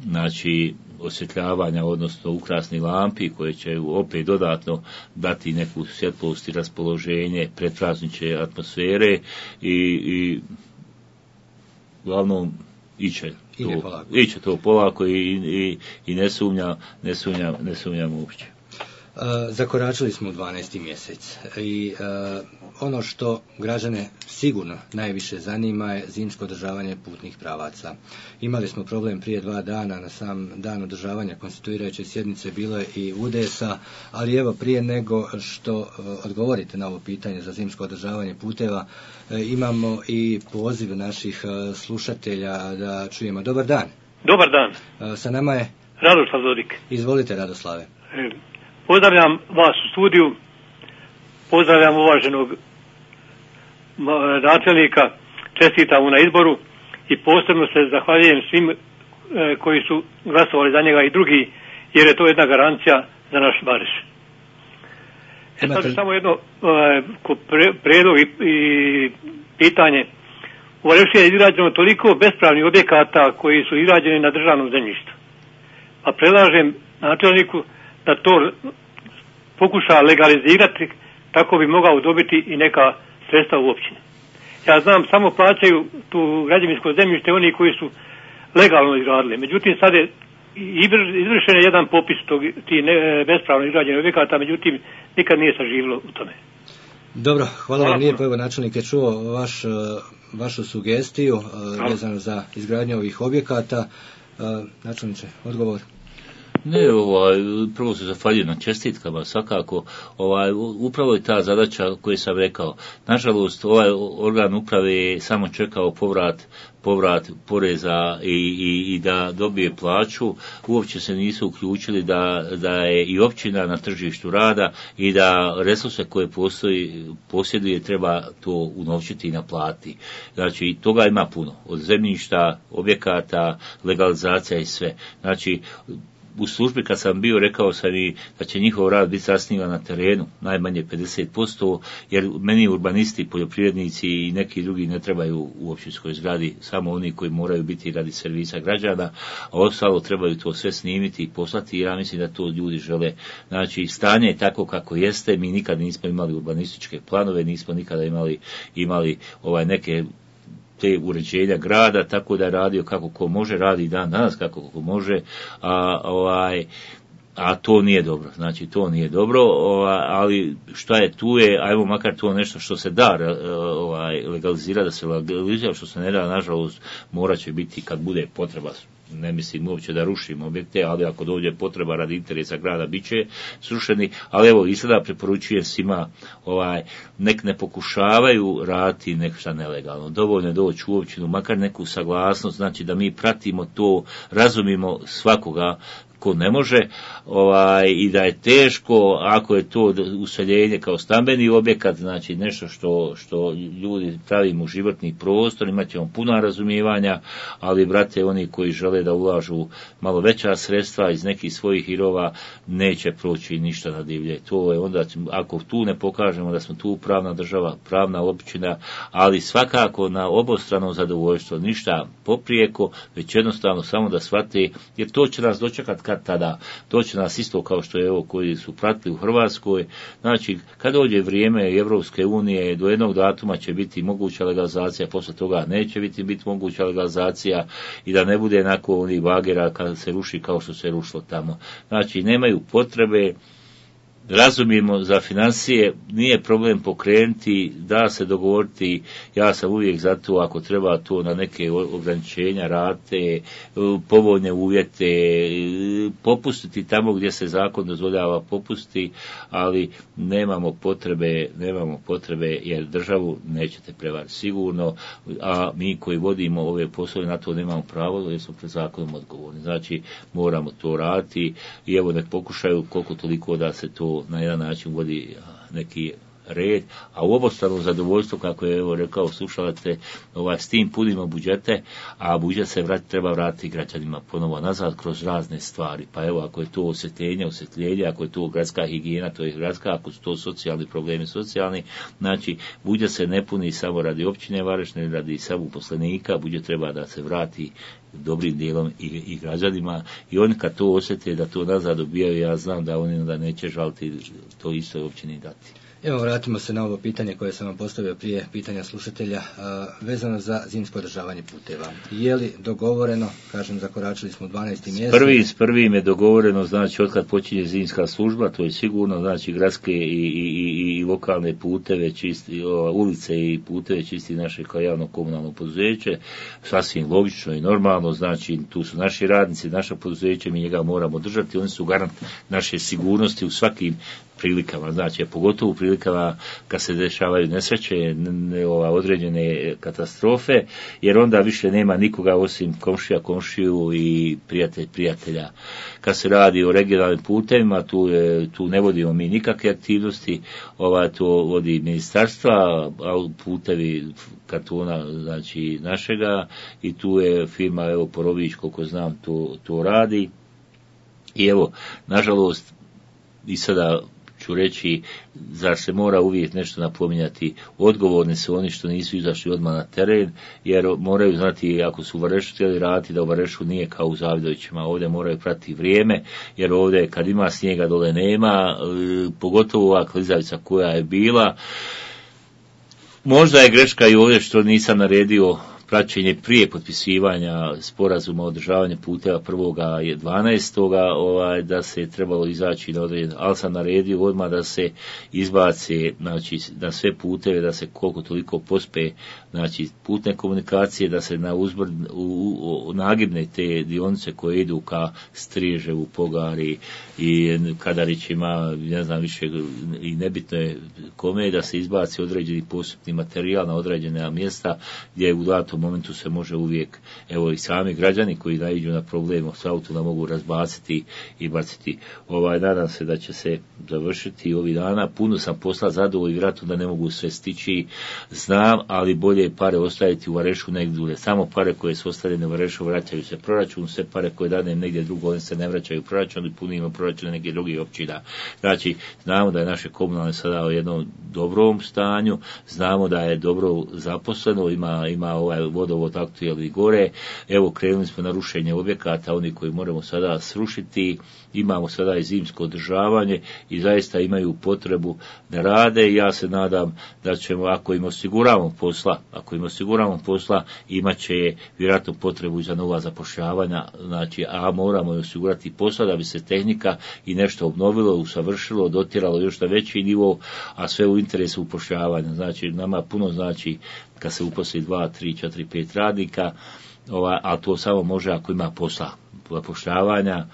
znači osvjetljavanja, odnosno ukrasnih lampi koje će opet dodatno dati neku svjetlost i raspoloženje predpraznične atmosfere i uglavnom iće to polako i ne sumnjam uopće. Zakoračili smo u 12. mjesec i ono što građane sigurno najviše zanima je zimsko održavanje putnih pravaca. Imali smo problem prije 2 dana, na sam dan održavanja konstituirajuće sjednice bilo je i udesa, ali evo prije nego što odgovorite na ovo pitanje za zimsko održavanje puteva, imamo i poziv naših slušatelja da čujemo. Dobar dan. Dobar dan. Sa nama je Radoslav Zodik. Izvolite, Radoslave. Pozdravljam vas u studiju, pozdravljam uvaženog načelnika, čestitam mu na izboru i posebno se zahvaljujem svim koji su glasovali za njega i drugi, jer je to jedna garancija za naš Vareš. Sad samo jedno prijedlog i pitanje. U Varešu je izgrađeno toliko bespravnih objekata koji su izgrađeni na državnom zemljištu. Pa predlažem načelniku da to pokuša legalizirati tako bi mogao dobiti i neka sredstva u općini. Ja znam, samo plaćaju tu građevinsko zemljište oni koji su legalno izgradili. Međutim, sad je izvršen je jedan popis tih bespravno izgrađenih objekata, međutim, nikad nije saživilo u tome. Dobro, hvala vam lijepo. Evo, načelnik je čuo vašu sugestiju vezano za izgradnju ovih objekata. Načelniče, odgovor? Ne, prvo se zahvaljujem na čestitkama, svakako, upravo je ta zadaća koju sam rekao. Nažalost, ovaj organ uprave je samo čekao povrat poreza i da dobije plaću, uopće se nisu uključili da je i općina na tržištu rada i da resurse koje posjeduje treba to unovčiti i naplatiti. Znači, toga ima puno, od zemljišta, objekata, legalizacija i sve. Znači, u službi kad sam bio, rekao sam i da će njihov rad biti zasnivan na terenu, najmanje 50%, jer meni urbanisti, poljoprivrednici i neki drugi ne trebaju u općinskoj zgradi, samo oni koji moraju biti radi servisa građana, a ostalo trebaju to sve snimiti i poslati, ja mislim da to ljudi žele. Znači, stanje je tako kako jeste, mi nikad nismo imali urbanističke planove, nismo nikada imali neke te uređenja grada, tako da je radio kako ko može, radi dan danas kako ko može, a to nije dobro. Znači, to nije dobro, ali šta je tu je, ajmo makar to nešto što se da legalizira, da se legalizira, što se ne da, nažalost, morat će biti kad bude potreba. Ne mislim uopće da rušimo objekte, ali ako dođe potreba radi interesa grada, bit će srušeni, ali evo i sada preporučujem svima, nek ne pokušavaju raditi nešto nelegalno. Dovoljno je doći u općinu, makar neku saglasnost, znači da mi pratimo to, razumimo svakoga ko ne može, i da je teško ako je to useljenje kao stambeni objekat, znači nešto što ljudi pravimo u životni prostor, imat ćemo puno razumijevanja, ali brate, oni koji žele da ulažu malo veća sredstva iz nekih svojih hirova, neće proći ništa na divlje. To je onda, ako tu ne pokažemo da smo tu pravna država, pravna općina, ali svakako na obostrano zadovoljstvo, ništa poprijeko, već jednostavno samo da shvate, jer to će nas dočekati kad tada, to će nas isto kao što je koji su pratili u Hrvatskoj. Znači, kad dođe vrijeme Evropske unije, do jednog datuma će biti moguća legalizacija, posle toga neće biti moguća legalizacija i da ne bude nakon onih bagera kada se ruši kao što se rušilo tamo. Znači, nemaju potrebe, razumijemo za financije, nije problem pokrenuti, da se dogovoriti, ja sam uvijek za to, ako treba to na neke ograničenja, rate, povoljne uvjete, popustiti tamo gdje se zakon dozvoljava popustiti, ali nemamo potrebe jer državu nećete prevariti sigurno, a mi koji vodimo ove poslove na to nemamo pravo jer smo pred zakonom odgovorni. Znači, moramo to raditi i evo nek pokušaju koliko toliko da se to na jedan način vodi neki red, a u obostrano zadovoljstvo, kako je evo rekao slušalate, s tim punimo budžete, a budžet se treba vratiti građanima ponovo nazad kroz razne stvari. Pa evo, ako je to osvjetljenje, ako je to gradska higijena, to je gradska, ako su to socijalni problemi, socijalni, znači budžet se ne puni samo radi općine Varešne, radi samo uposlenika, budžet treba da se vrati dobrim dijelom i građanima, i oni kad to osjete da to nazad dobijaju, ja znam da oni onda neće žaliti to isto općini dati. Evo, vratimo se na ovo pitanje koje sam vam postavio prije pitanja slušatelja, vezano za zimsko održavanje puteva. Je li dogovoreno, kažem, zakoračili smo 12. mjesec? S prvim je dogovoreno, znači, otkad počinje zimska služba, to je sigurno, znači, gradske i lokalne puteve, čisti, ulice i puteve čisti naše kao javno komunalno poduzeće, sasvim logično i normalno, znači, tu su naši radnici, naše poduzeće, mi njega moramo držati, oni su garant naše sigurnosti u svakim prilikama, znači, pogotovo u prilikama kad se dešavaju nesreće, određene katastrofe, jer onda više nema nikoga osim komšiju i prijatelja. Kad se radi o regionalnim putevima, tu ne vodimo mi nikakve aktivnosti, to vodi ministarstva, a putevi kartona, znači, našega, i tu je firma, evo, Porović, koliko znam, to radi. I evo, nažalost, i sada ću reći, zar se mora uvijek nešto napominjati, odgovorni su oni što nisu izašli odmah na teren, jer moraju znati, ako su u Varešu htjeli raditi, da u Varešu nije kao u Zavidovićima, ovdje moraju pratiti vrijeme, jer ovdje kad ima snijega dole nema, pogotovo ova klizavica koja je bila. Možda je greška i ovdje što nisam naredio praćenje prije potpisivanja sporazuma o održavanju puteva 1.12. Da se je trebalo izaći na određen, ali sam naredio odmah da se izbace, znači na sve puteve, da se koliko toliko pospe, znači putne komunikacije, da se na nagibne te dionice koje idu ka Striževu, Pogari i Kadarićima, ne znam više, i nebitno je kome, da se izbaci određeni postupni materijal na određena mjesta gdje u datom momentu se može uvijek, evo i sami građani koji naiđu na problem s autom mogu razbaciti i baciti. Nadam se da će se završiti ovih dana. Puno sam posla zadovoljno i vjerojatno da ne mogu sve stići, znam, ali bolje je pare ostaviti u Varešu negdje dulje. Samo pare koje su ostavljene u Varešu vraćaju se proračun, sve pare koje danem negdje drugo, one se ne vraćaju u proračun i punimo proračun nekih drugih općina. Znači, znamo da je naše komunalne sada u jednom dobrom stanju, znamo da je dobro zaposleno, ima vodovod aktuelni gore, evo krenuli smo na rušenje objekata, oni koji moramo sada srušiti, imamo sada i zimsko održavanje i zaista imaju potrebu da rade. Ja se nadam da ćemo, ako im osiguravamo posla, imat će vjerojatno potrebu za nova zapošljavanja, znači, a moramo osigurati posla da bi se tehnika i nešto obnovilo, usavršilo, dotjeralo još na veći nivo, a sve u interesu upošljavanja. Znači, nama puno znači kad se uposli 2, 3, 4, 5 radnika, a to samo može ako ima posla. Zapošljavanja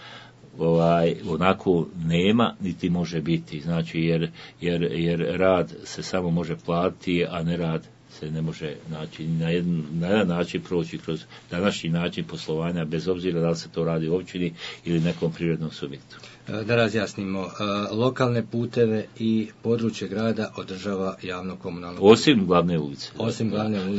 onako nema, niti može biti, znači jer rad se samo može platiti, a ne rad se ne može, znači, na jedan način proći kroz današnji način poslovanja, bez obzira da li se to radi u općini ili nekom privrednom subjektu. Da razjasnimo, lokalne puteve i područje grada održava javno komunalno. Osim glavne ulice.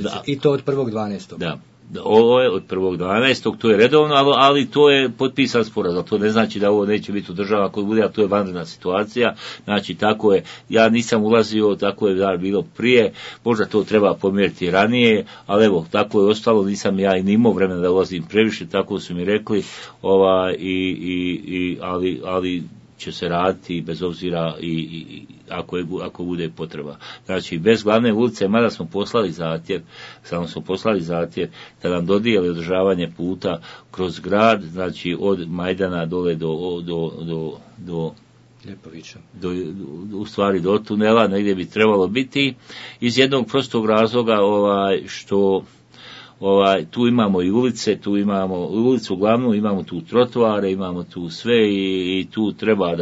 Da. I to od 1.12. Da. Ovo je od 1.12. to je redovno, ali to je potpisan sporazum. To ne znači da ovo neće biti održava koji bude, a to je vanredna situacija. Znači, tako je, ja nisam ulazio, tako je bilo prije, možda to treba pomjeriti ranije, ali evo, tako je ostalo, nisam ja i nimao vremena da ulazim previše, tako su mi rekli, ali će se raditi bez obzira i ako bude potreba. Znači, bez glavne ulice, mada smo poslali zahtjev da nam dodijeli održavanje puta kroz grad, znači od Majdana dole do Ljepovića. U stvari do tunela, negdje bi trebalo biti, iz jednog prostog razloga što tu imamo i ulice, tu imamo ulicu glavnu, imamo tu trotoare, imamo tu sve i tu treba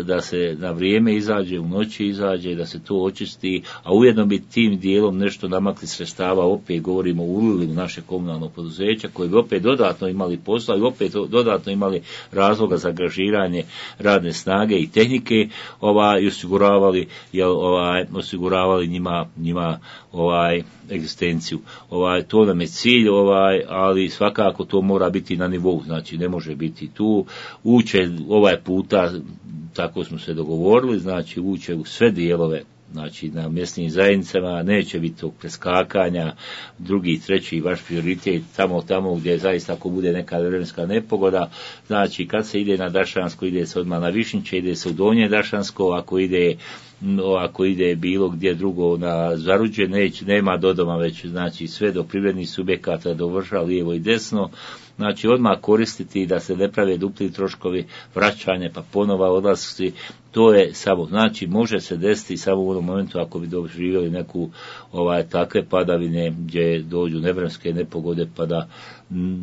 da se na vrijeme izađe, u noći izađe, da se to očisti, a ujedno bi tim dijelom nešto namakli sredstava, opet govorimo ulili u naše komunalno poduzeća, koji bi opet dodatno imali posla i opet dodatno imali razloga za angažiranje radne snage i tehnike, i osiguravali njima egzistenciju. To nam je cilj, ali svakako to mora biti na nivou, znači ne može biti tu, uče ovaj puta, tako smo se dogovorili, znači uče u sve dijelove, znači na mjesnim zajednicama, neće biti tog preskakanja, drugi, treći, vaš prioritet tamo gdje zaista ako bude neka vremenska nepogoda, znači kad se ide na Dašansko, ide se odmah na Višnjiće, ide se u Donje Dašansko, ako ide bilo gdje drugo na Zaruđe, nema do doma već, znači sve do privrednih subjekata, do vrša, lijevo i desno, znači odmah koristiti da se ne prave dupli troškovi, vraćanje pa ponova odlasci, to je samo, znači može se desiti samo u onom momentu ako bi doživjeli neku takve padavine gdje dođu nevremenske nepogode pa da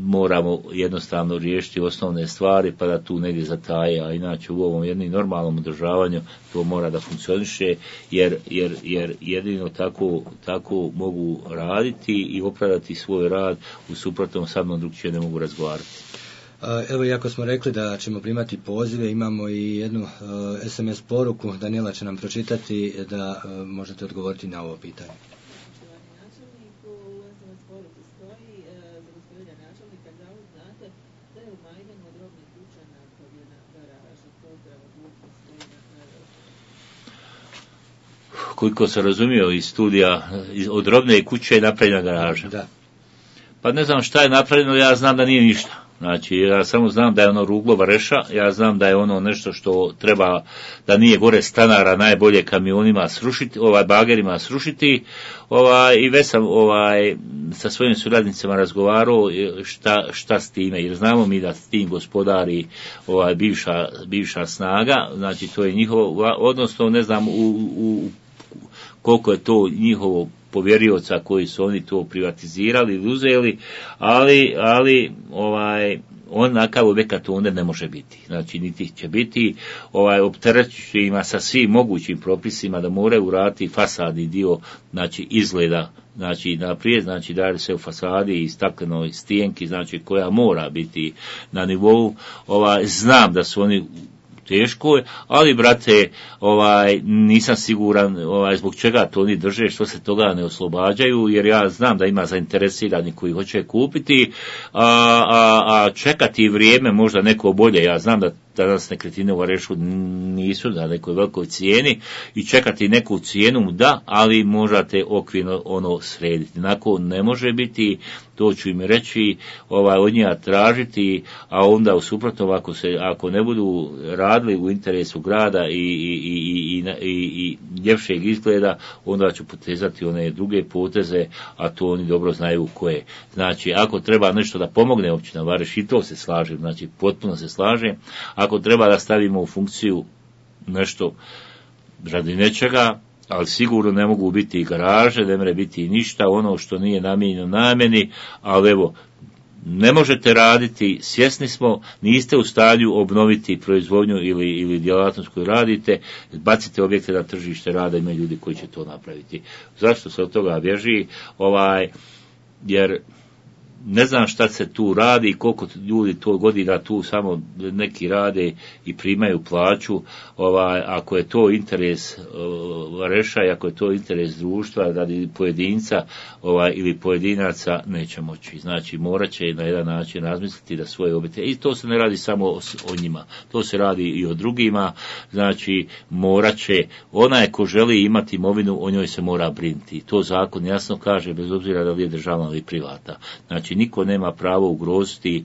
moramo jednostavno riješiti osnovne stvari pa da tu negdje zataje, a inače u ovom jednom normalnom održavanju to mora da funkcioniše jer jedino tako mogu raditi i opravdati svoj rad, u suprotnom sa mnom drugčije ne mogu razgovarati. Evo, iako smo rekli da ćemo primati pozive, imamo i jednu SMS poruku, Daniela će nam pročitati da možete odgovoriti na ovo pitanje. koliko sam razumio iz studija, od robne kuće je napravljena garaža. Da. Pa ne znam šta je napravljeno, ja znam da nije ništa. Znači, ja samo znam da je ono ruglo Vareša, ja znam da je ono nešto što treba, da nije gore stanara najbolje kamionima srušiti, bagerima srušiti, i već sam sa svojim suradnicima razgovarao šta s time, jer znamo mi da s tim gospodari bivša snaga, znači to je njihovo, odnosno ne znam koliko je to njihovo povjerioca koji su oni to privatizirali ili uzeli, ali onakav objekat onda ne može biti. Znači, niti će biti, opterećujući ima sa svim mogućim propisima da moraju uraditi fasadni dio, znači izgleda, znači naprijed, znači da se u fasadi i staklenoj stijenki, znači koja mora biti na nivou, znam da su oni teško je, ali brate, nisam siguran zbog čega to oni drže, što se toga ne oslobađaju, jer ja znam da ima zainteresirani koji hoće kupiti, a čekati vrijeme možda neko bolje, ja znam da danas nekretnine u Varešu nisu na nekoj velikoj cijeni i čekati neku cijenu, da, ali možete okvirno ono srediti. Nakon ne može biti, to ću im reći, od njega tražiti, a onda u suprotnom ako ne budu radili u interesu grada i ljepšeg izgleda, onda ću potezati one druge poteze, a to oni dobro znaju koje. Znači, ako treba nešto da pomogne općina Vareš, i to se slažem, znači potpuno se slažem, ako treba da stavimo u funkciju nešto radi nečega, ali sigurno ne mogu biti i garaže, ne može biti i ništa, ono što nije namijenjeno namjeni, ali evo, ne možete raditi, svjesni smo, niste u stanju obnoviti proizvodnju ili djelatnost koju radite, bacite objekte na tržište rada, ima ljudi koji će to napraviti. Zašto se od toga bježi? Jer ne znam šta se tu radi i koliko ljudi to godina tu samo neki rade i primaju plaću, ako je to interes Vareša i ako je to interes društva radi pojedinca ili pojedinaca, neće moći. Znači morat će na jedan način razmisliti da svoje obitelji, i to se ne radi samo o njima, to se radi i o drugima, znači morat će, onaj ko želi imati imovinu, o njoj se mora brinuti. To zakon jasno kaže, bez obzira da li je državna ili privata. Znači niko nema pravo ugroziti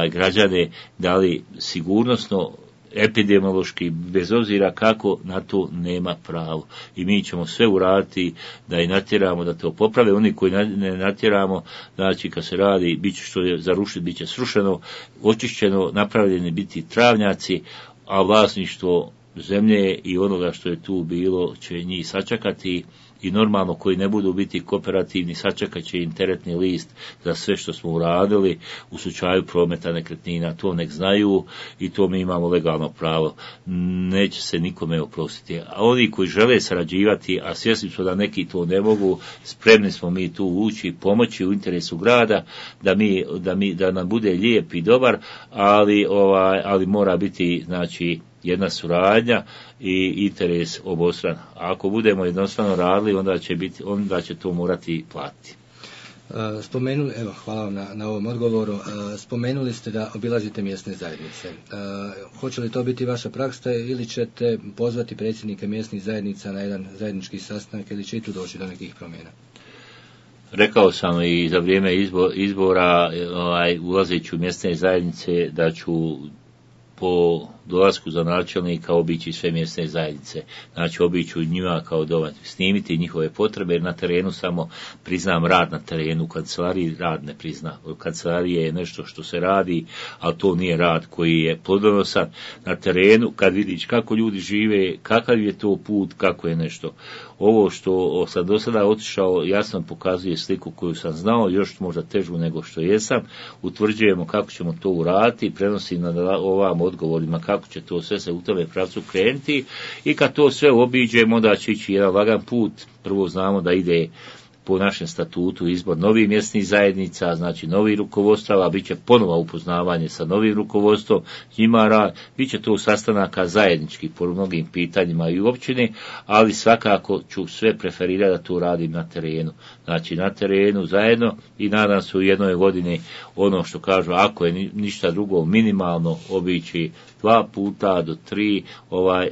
građane, da li sigurnosno, epidemiološki, bez obzira kako, na to nema pravo. I mi ćemo sve uraditi da i natjeramo da to poprave. Oni koji ne natjeramo, znači kad se radi, bit će što je za rušiti, bit će srušeno, očišćeno, napravljeni biti travnjaci, a vlasništvo zemlje i onoga što je tu bilo će njih sačekati. I normalno koji ne budu biti kooperativni, sačekat će im teretni list za sve što smo uradili u slučaju prometa nekretnina, to nek znaju i to mi imamo legalno pravo. Neće se nikome oprostiti. A oni koji žele sarađivati, a svjesni smo da neki to ne mogu, spremni smo mi tu ući, pomoći u interesu grada, da nam bude lijep i dobar, ali mora biti, znači, jedna suradnja i interes obostran. A ako budemo jednostavno radili, onda će to morati platiti. Hvala vam na ovom odgovoru. Spomenuli ste da obilazite mjesne zajednice. Hoće li to biti vaša praksa ili ćete pozvati predsjednike mjesnih zajednica na jedan zajednički sastanak ili će i tu doći do nekih promjena? Rekao sam i za vrijeme izbora, ulazeći u mjesne zajednice, da ću po dolasku za načelnika obići sve mjesne zajednice. Znači obiću njima kao domaći, snimiti njihove potrebe, jer na terenu samo priznam rad na terenu, u kancelariji rad ne prizna. U kancelariji je nešto što se radi, ali to nije rad koji je plodonosan. Na terenu, kad vidiš kako ljudi žive, kakav je to put, kako je nešto. Ovo što sam do sada otišao jasno pokazuje sliku koju sam znao, još možda težu nego što jesam. Utvrđujemo kako ćemo to uraditi, prenosim na ovam odgovorima kako će to sve se u tome pravcu krenuti i kad to sve obiđemo, onda će ići jedan lagan put. Prvo znamo da ide po našem statutu izbor novih mjesnih zajednica, znači novih rukovodstava, bit će ponovo upoznavanje sa novim rukovodstvom, njima rad, bit će to sastanaka zajednički po mnogim pitanjima i u općini, ali svakako ću sve preferirati da to radim na terenu. Znači na terenu zajedno i nadam se u jednoj godini ono što kažu, ako je ništa drugo minimalno obići 2 puta do 3,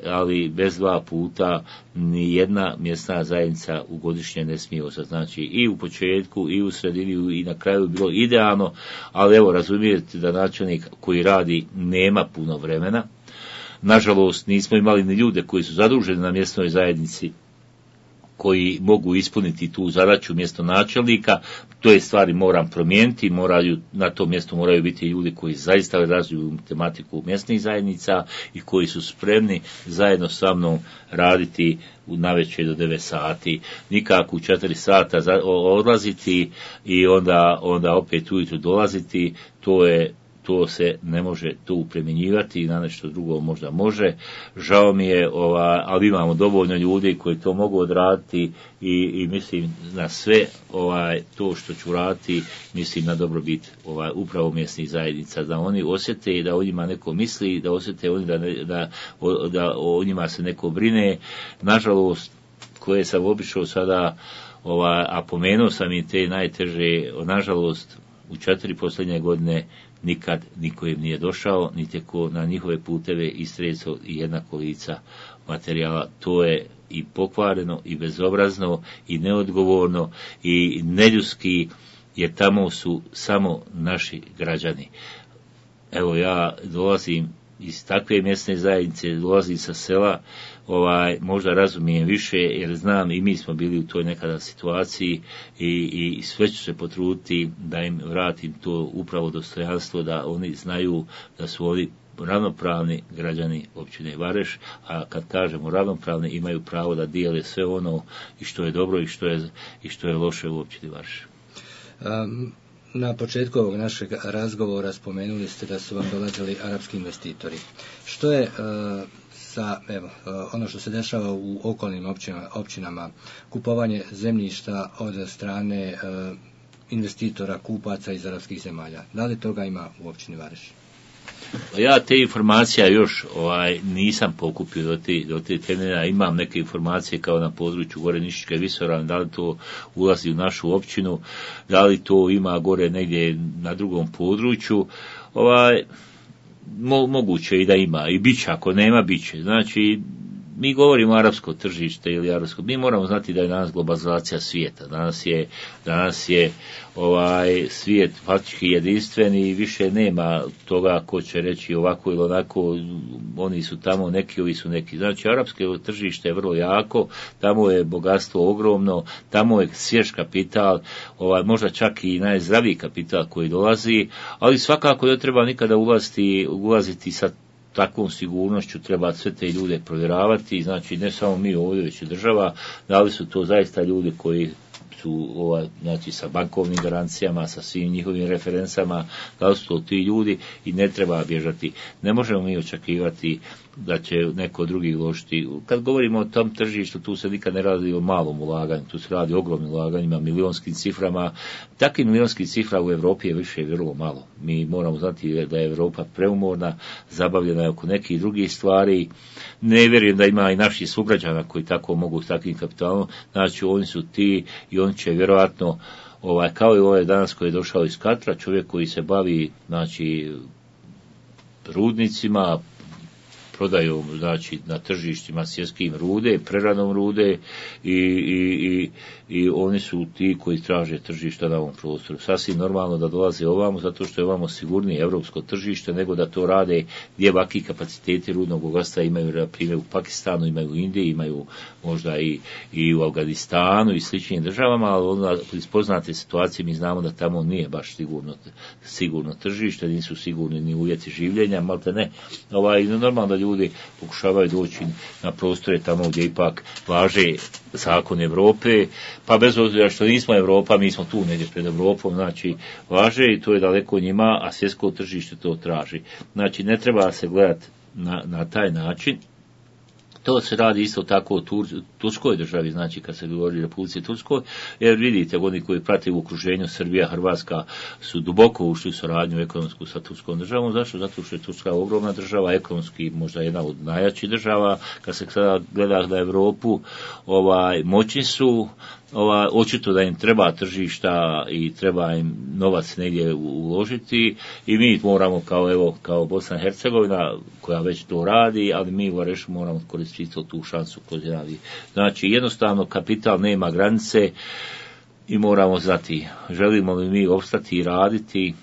ali bez 2 puta ni jedna mjesna zajednica u godišnje ne smije ostati. Znači i u početku i u sredini i na kraju bilo idealno, ali evo razumijete da načelnik koji radi nema puno vremena. Nažalost nismo imali ni ljude koji su zaduženi na mjesnoj zajednici koji mogu ispuniti tu zadaću mjesto načelnika. To je stvari moram promijeniti, na tom mjestu moraju biti ljudi koji zaista razviju tematiku mjesnih zajednica i koji su spremni zajedno sa mnom raditi navečer do 9 sati, nikako u 4 sata odlaziti i onda opet ujutro dolaziti. To se ne može tu primjenjivati, na nešto drugo možda može. Žao mi je, ali imamo dovoljno ljudi koji to mogu odraditi i mislim na sve to što ću raditi, mislim na dobrobit upravo mjesnih zajednica, da oni osjete i da o njima neko misli, da osjete oni da o njima se neko brine. Nažalost, koje sam obišao sada, a pomenuo sam i te najteže, nažalost, u 4 posljednje godine nikad niko im nije došao, niti ko na njihove puteve istresao i jedna kolica materijala. To je i pokvareno, i bezobrazno, i neodgovorno, i neljudski, jer tamo su samo naši građani. Evo, ja dolazim iz takve mjesne zajednice, dolazim sa sela, možda razumijem više, jer znam i mi smo bili u toj nekada situaciji i sve ću se potruditi da im vratim to upravo dostojanstvo, da oni znaju da su oni ravnopravni građani općine Vareš, a kad kažemo ravnopravni, imaju pravo da dijele sve ono i što je dobro i što je loše u općini Vareš. Na početku ovog našeg razgovora spomenuli ste da su vam dolazili arapski investitori. Što je ono što se dešava u okolnim općinama, kupovanje zemljišta od strane investitora, kupaca iz arapskih zemalja? Da li toga ima u općini Vareš? Ja te informacija još nisam pokupio do te temelja. Imam neke informacije kao na području gore Nišičke Visoravni, da li to ulazi u našu općinu, da li to ima gore negdje na drugom području. Moguće i da ima, i bit će, ako nema, bit će. Znači, mi govorimo arapsko tržište ili arapsko, mi moramo znati da je danas globalizacija svijeta. Danas je svijet faktički jedinstven i više nema toga ko će reći ovako ili onako, oni su tamo neki, ovi su neki. Znači, arapsko tržište je vrlo jako, tamo je bogatstvo ogromno, tamo je svjež kapital, možda čak i najzdraviji kapital koji dolazi, ali svakako ne treba nikada ulaziti sa takvom sigurnošću, treba sve te ljude provjeravati, znači ne samo mi ovdje, već i država, da li su to zaista ljudi koji su znači sa bankovnim garancijama, sa svim njihovim referencama, da li su to ti ljudi i ne treba bježati. Ne možemo mi očekivati da će neko drugi uložiti. Kad govorimo o tom tržištu, tu se nikad ne radi o malom ulaganju, tu se radi o ogromnim ulaganjima, milionskim ciframa. Takvih milijonskih cifra u Europi je više vrlo malo. Mi moramo znati da je Europa preumorna, zabavljena je oko nekih drugih stvari. Ne vjerujem da ima i naših sugrađana koji tako mogu s takvim kapitalom. Znači, oni su ti i oni će vjerojatno, kao i ovaj danas koji je došao iz Katra, čovjek koji se bavi, znači, rudnicima, prodaju, znači, na tržištima svjetskim rude, preradom rude i oni su ti koji traže tržišta na ovom prostoru. Sasvim normalno da dolaze ovamo, zato što je ovamo sigurnije europsko tržište, nego da to rade gdje ovakvi kapaciteti rudnog bogatstva imaju, na primjer, u Pakistanu, imaju u Indiji, imaju možda i u Afganistanu i sličnim državama, ali onda iz poznate situacije mi znamo da tamo nije baš sigurno tržište, nisu sigurni ni uvjeti življenja, malte ne. Normalno da ljudi pokušavaju doći na prostore tamo gdje ipak važe zakon Europe, pa bez obzira što nismo Europa, mi smo tu negdje pred Europom, znači važe i to je daleko njima, a svjetsko tržište to traži. Znači ne treba se gledati na taj način. To se radi isto tako u Turskoj državi, znači kad se govori o Republici Turskoj, jer vidite, oni koji prate u okruženju Srbija, Hrvatska su duboko ušli u suradnju ekonomsku sa Turskom državom. Zašto? Zato što je Turska ogromna država, ekonomski možda jedna od najjačih država. Kad se sada gleda na Europu, moćni su, očito da im treba tržišta i treba im novac negdje uložiti i mi moramo kao Bosna i Hercegovina koja već to radi, ali mi u Varešu moramo koristiti tu šansu koju radi. Znači jednostavno kapital nema granice i moramo znati želimo li mi opstati i raditi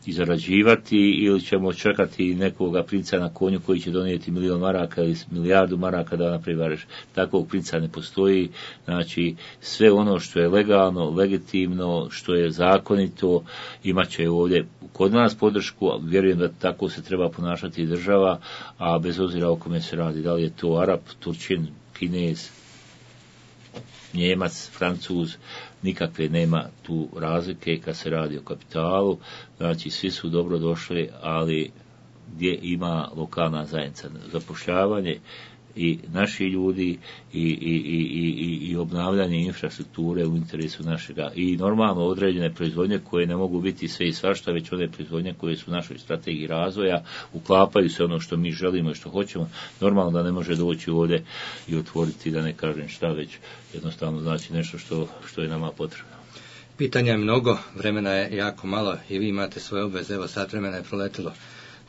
i zarađivati ili ćemo čekati nekoga princa na konju koji će donijeti 1.000.000 maraka ili 1.000.000 maraka da napravi Vareš. Takvog princa ne postoji. Znači sve ono što je legalno, legitimno, što je zakonito imat će ovdje kod nas podršku, a vjerujem da tako se treba ponašati i država, a bez obzira o kome se radi, da li je to Arap, Turčin, Kinez, Njemac, Francuz, nikakve nema tu razlike kad se radi o kapitalu, znači svi su dobro došli, ali gdje ima lokalna zajednica zapošljavanje i naši ljudi i obnavljanje infrastrukture u interesu našega i normalno određene proizvodnje koje ne mogu biti sve i svašta, već one proizvodnje koje su u našoj strategiji razvoja, uklapaju se ono što mi želimo i što hoćemo. Normalno da ne može doći ovdje i otvoriti, da ne kažem šta, već jednostavno znači nešto što je nama potrebno. Pitanja je mnogo, vremena je jako malo i vi imate svoje obveze, evo sat vremena je proletilo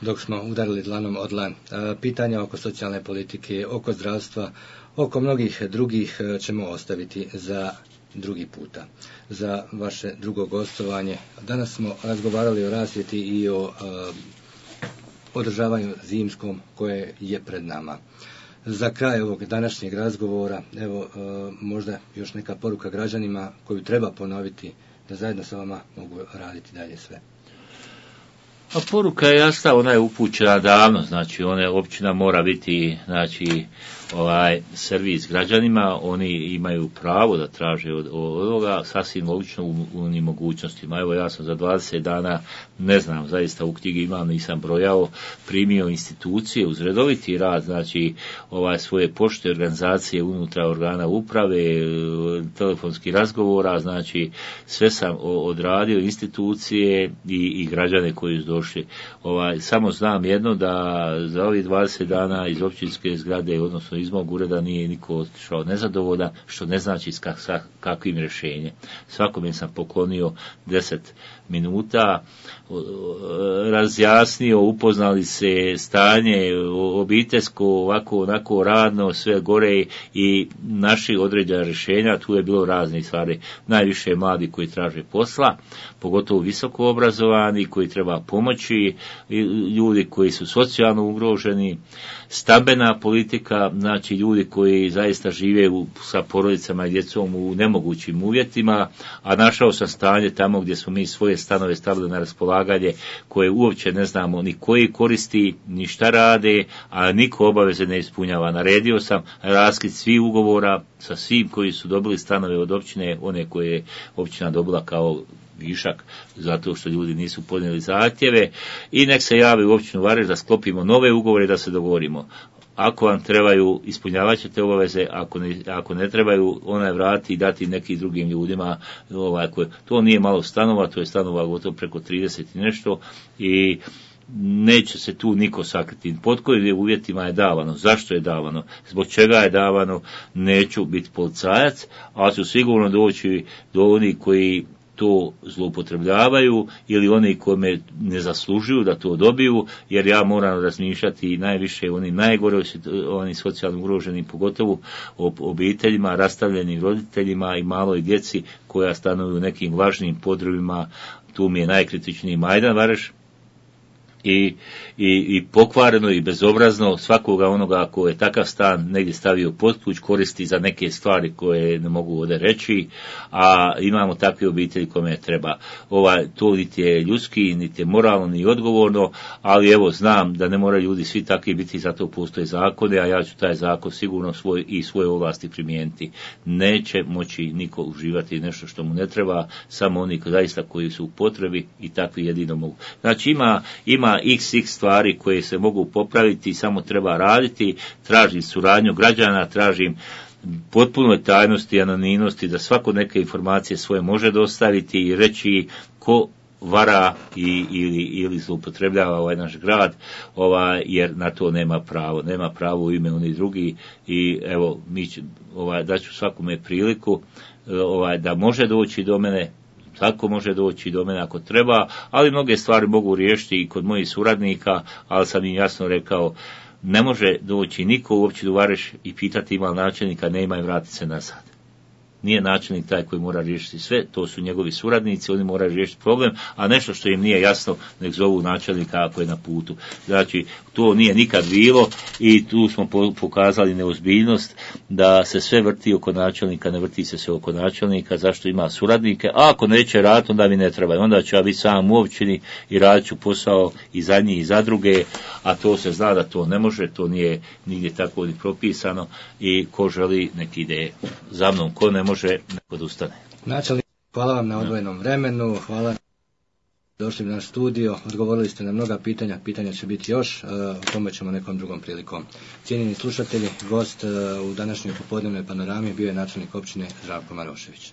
dok smo udarili dlanom o dlan. Pitanja oko socijalne politike, oko zdravstva, oko mnogih drugih ćemo ostaviti za drugi puta, za vaše drugo gostovanje. Danas smo razgovarali o rasvjeti i o održavanju zimskom koje je pred nama. Za kraj ovog današnjeg razgovora, evo možda još neka poruka građanima koju treba ponoviti da zajedno sa vama mogu raditi dalje sve. A poruka je jasna, ona je upućena davno, znači općina mora biti, znači servis građanima, oni imaju pravo da traže od ovoga, sasvim logično u onim mogućnostima. Evo ja sam za 20 dana, ne znam, zaista u knjigi imam, nisam brojao, primio institucije uz redoviti rad, znači svoje pošte, organizacije unutra organa uprave, telefonski razgovora, znači sve sam odradio, institucije i građane koji su došli. Samo znam jedno, da za ovih 20 dana iz općinske zgrade, odnosno iz mog ureda, nije niko otišao nezadovoljan, što ne znači s kakvim rješenjem. Svakome sam poklonio 10 minuta, razjasnio, upoznali se stanje obiteljsko, ovako, onako, radno, sve gore i našli određena rješenja. Tu je bilo raznih stvari. Najviše mladi koji traže posla, pogotovo visoko obrazovani, koji treba pomoći, ljudi koji su socijalno ugroženi, stambena politika, znači ljudi koji zaista žive sa porodicama i djecom u nemogućim uvjetima, a našao sam stanje tamo gdje smo mi svoje stanove stavili na raspolaganje, koje uopće ne znamo ni koji koristi, ni šta rade, a niko obaveze ne ispunjava. Naredio sam raskid svih ugovora sa svim koji su dobili stanove od općine, one koje je općina dobila kao višak, zato što ljudi nisu podnijeli zahtjeve, i nek se javi u općinu Vareš da sklopimo nove ugovore, da se dogovorimo. Ako vam trebaju, ispunjavat ćete obaveze, ako ne trebaju, onaj vrati i dati nekim drugim ljudima. To nije malo stanova, to je stanova gotovo preko 30 i nešto, i neće se tu niko sakriti. Pod kojim uvjetima je davano, zašto je davano, zbog čega je davano, neću biti policajac, ali ću sigurno doći do onih koji to zloupotrebljavaju ili oni koji ne zaslužuju da to dobiju, jer ja moram razmišljati najviše o onim najgore, onim socijalno ugroženim, pogotovo o obiteljima, rastavljenim roditeljima i maloj djeci koja stanuju u nekim važnim podrumima. Tu mi je najkritičniji Majdan Vareš, i pokvareno i bezobrazno svakoga onoga ko je takav stan negdje stavio pod kuć koristi za neke stvari koje ne mogu ovdje reći, a imamo takve obitelji kome treba. To niti je ljudski, niti je moralno, ni odgovorno, ali evo znam da ne moraju ljudi svi takvi biti, zato postoje zakone, a ja ću taj zakon sigurno svoje ovlasti primijeniti. Neće moći niko uživati nešto što mu ne treba, samo oni zaista koji su u potrebi, i takvi jedino mogu. Znači ima XX stvari koje se mogu popraviti, samo treba raditi. Tražim suradnju građana, tražim potpunoj tajnosti i anonimnosti, da svako neke informacije svoje može dostaviti i reći ko vara ili zloupotrebljava ovaj naš grad, jer na to nema pravo u ime oni drugi. I evo, daću svakome priliku da može doći do mene, tako može doći do mene ako treba, ali mnoge stvari mogu riješiti i kod mojih suradnika, ali sam im jasno rekao, ne može doći niko u općinu Vareš i pitati ima li načelnika, nema i vratiti se nazad. Nije načelnik taj koji mora riješiti sve, to su njegovi suradnici, oni moraju riješiti problem, a nešto što im nije jasno, nek zovu načelnika ako je na putu. Znači, to nije nikad bilo i tu smo pokazali neozbiljnost da se sve vrti oko načelnika, ne vrti se sve oko načelnika, zašto ima suradnike, a ako neće raditi, onda mi ne treba. Onda ću ja biti sam u općini i radit ću posao i za njih i za druge, a to se zna da to ne može, to nije nigdje tako ni propisano i ko želi nek ide za mnom, ko ne može, nek odustane. Načelnik, hvala vam na odvojenom vremenu, hvala došli u naš studio, odgovorili ste na mnoga pitanja će biti još, o tome ćemo nekom drugom prilikom. Cijenjeni slušatelji, gost u današnjoj popodnevnoj panorami bio je načelnik općine Zdravko Marošević.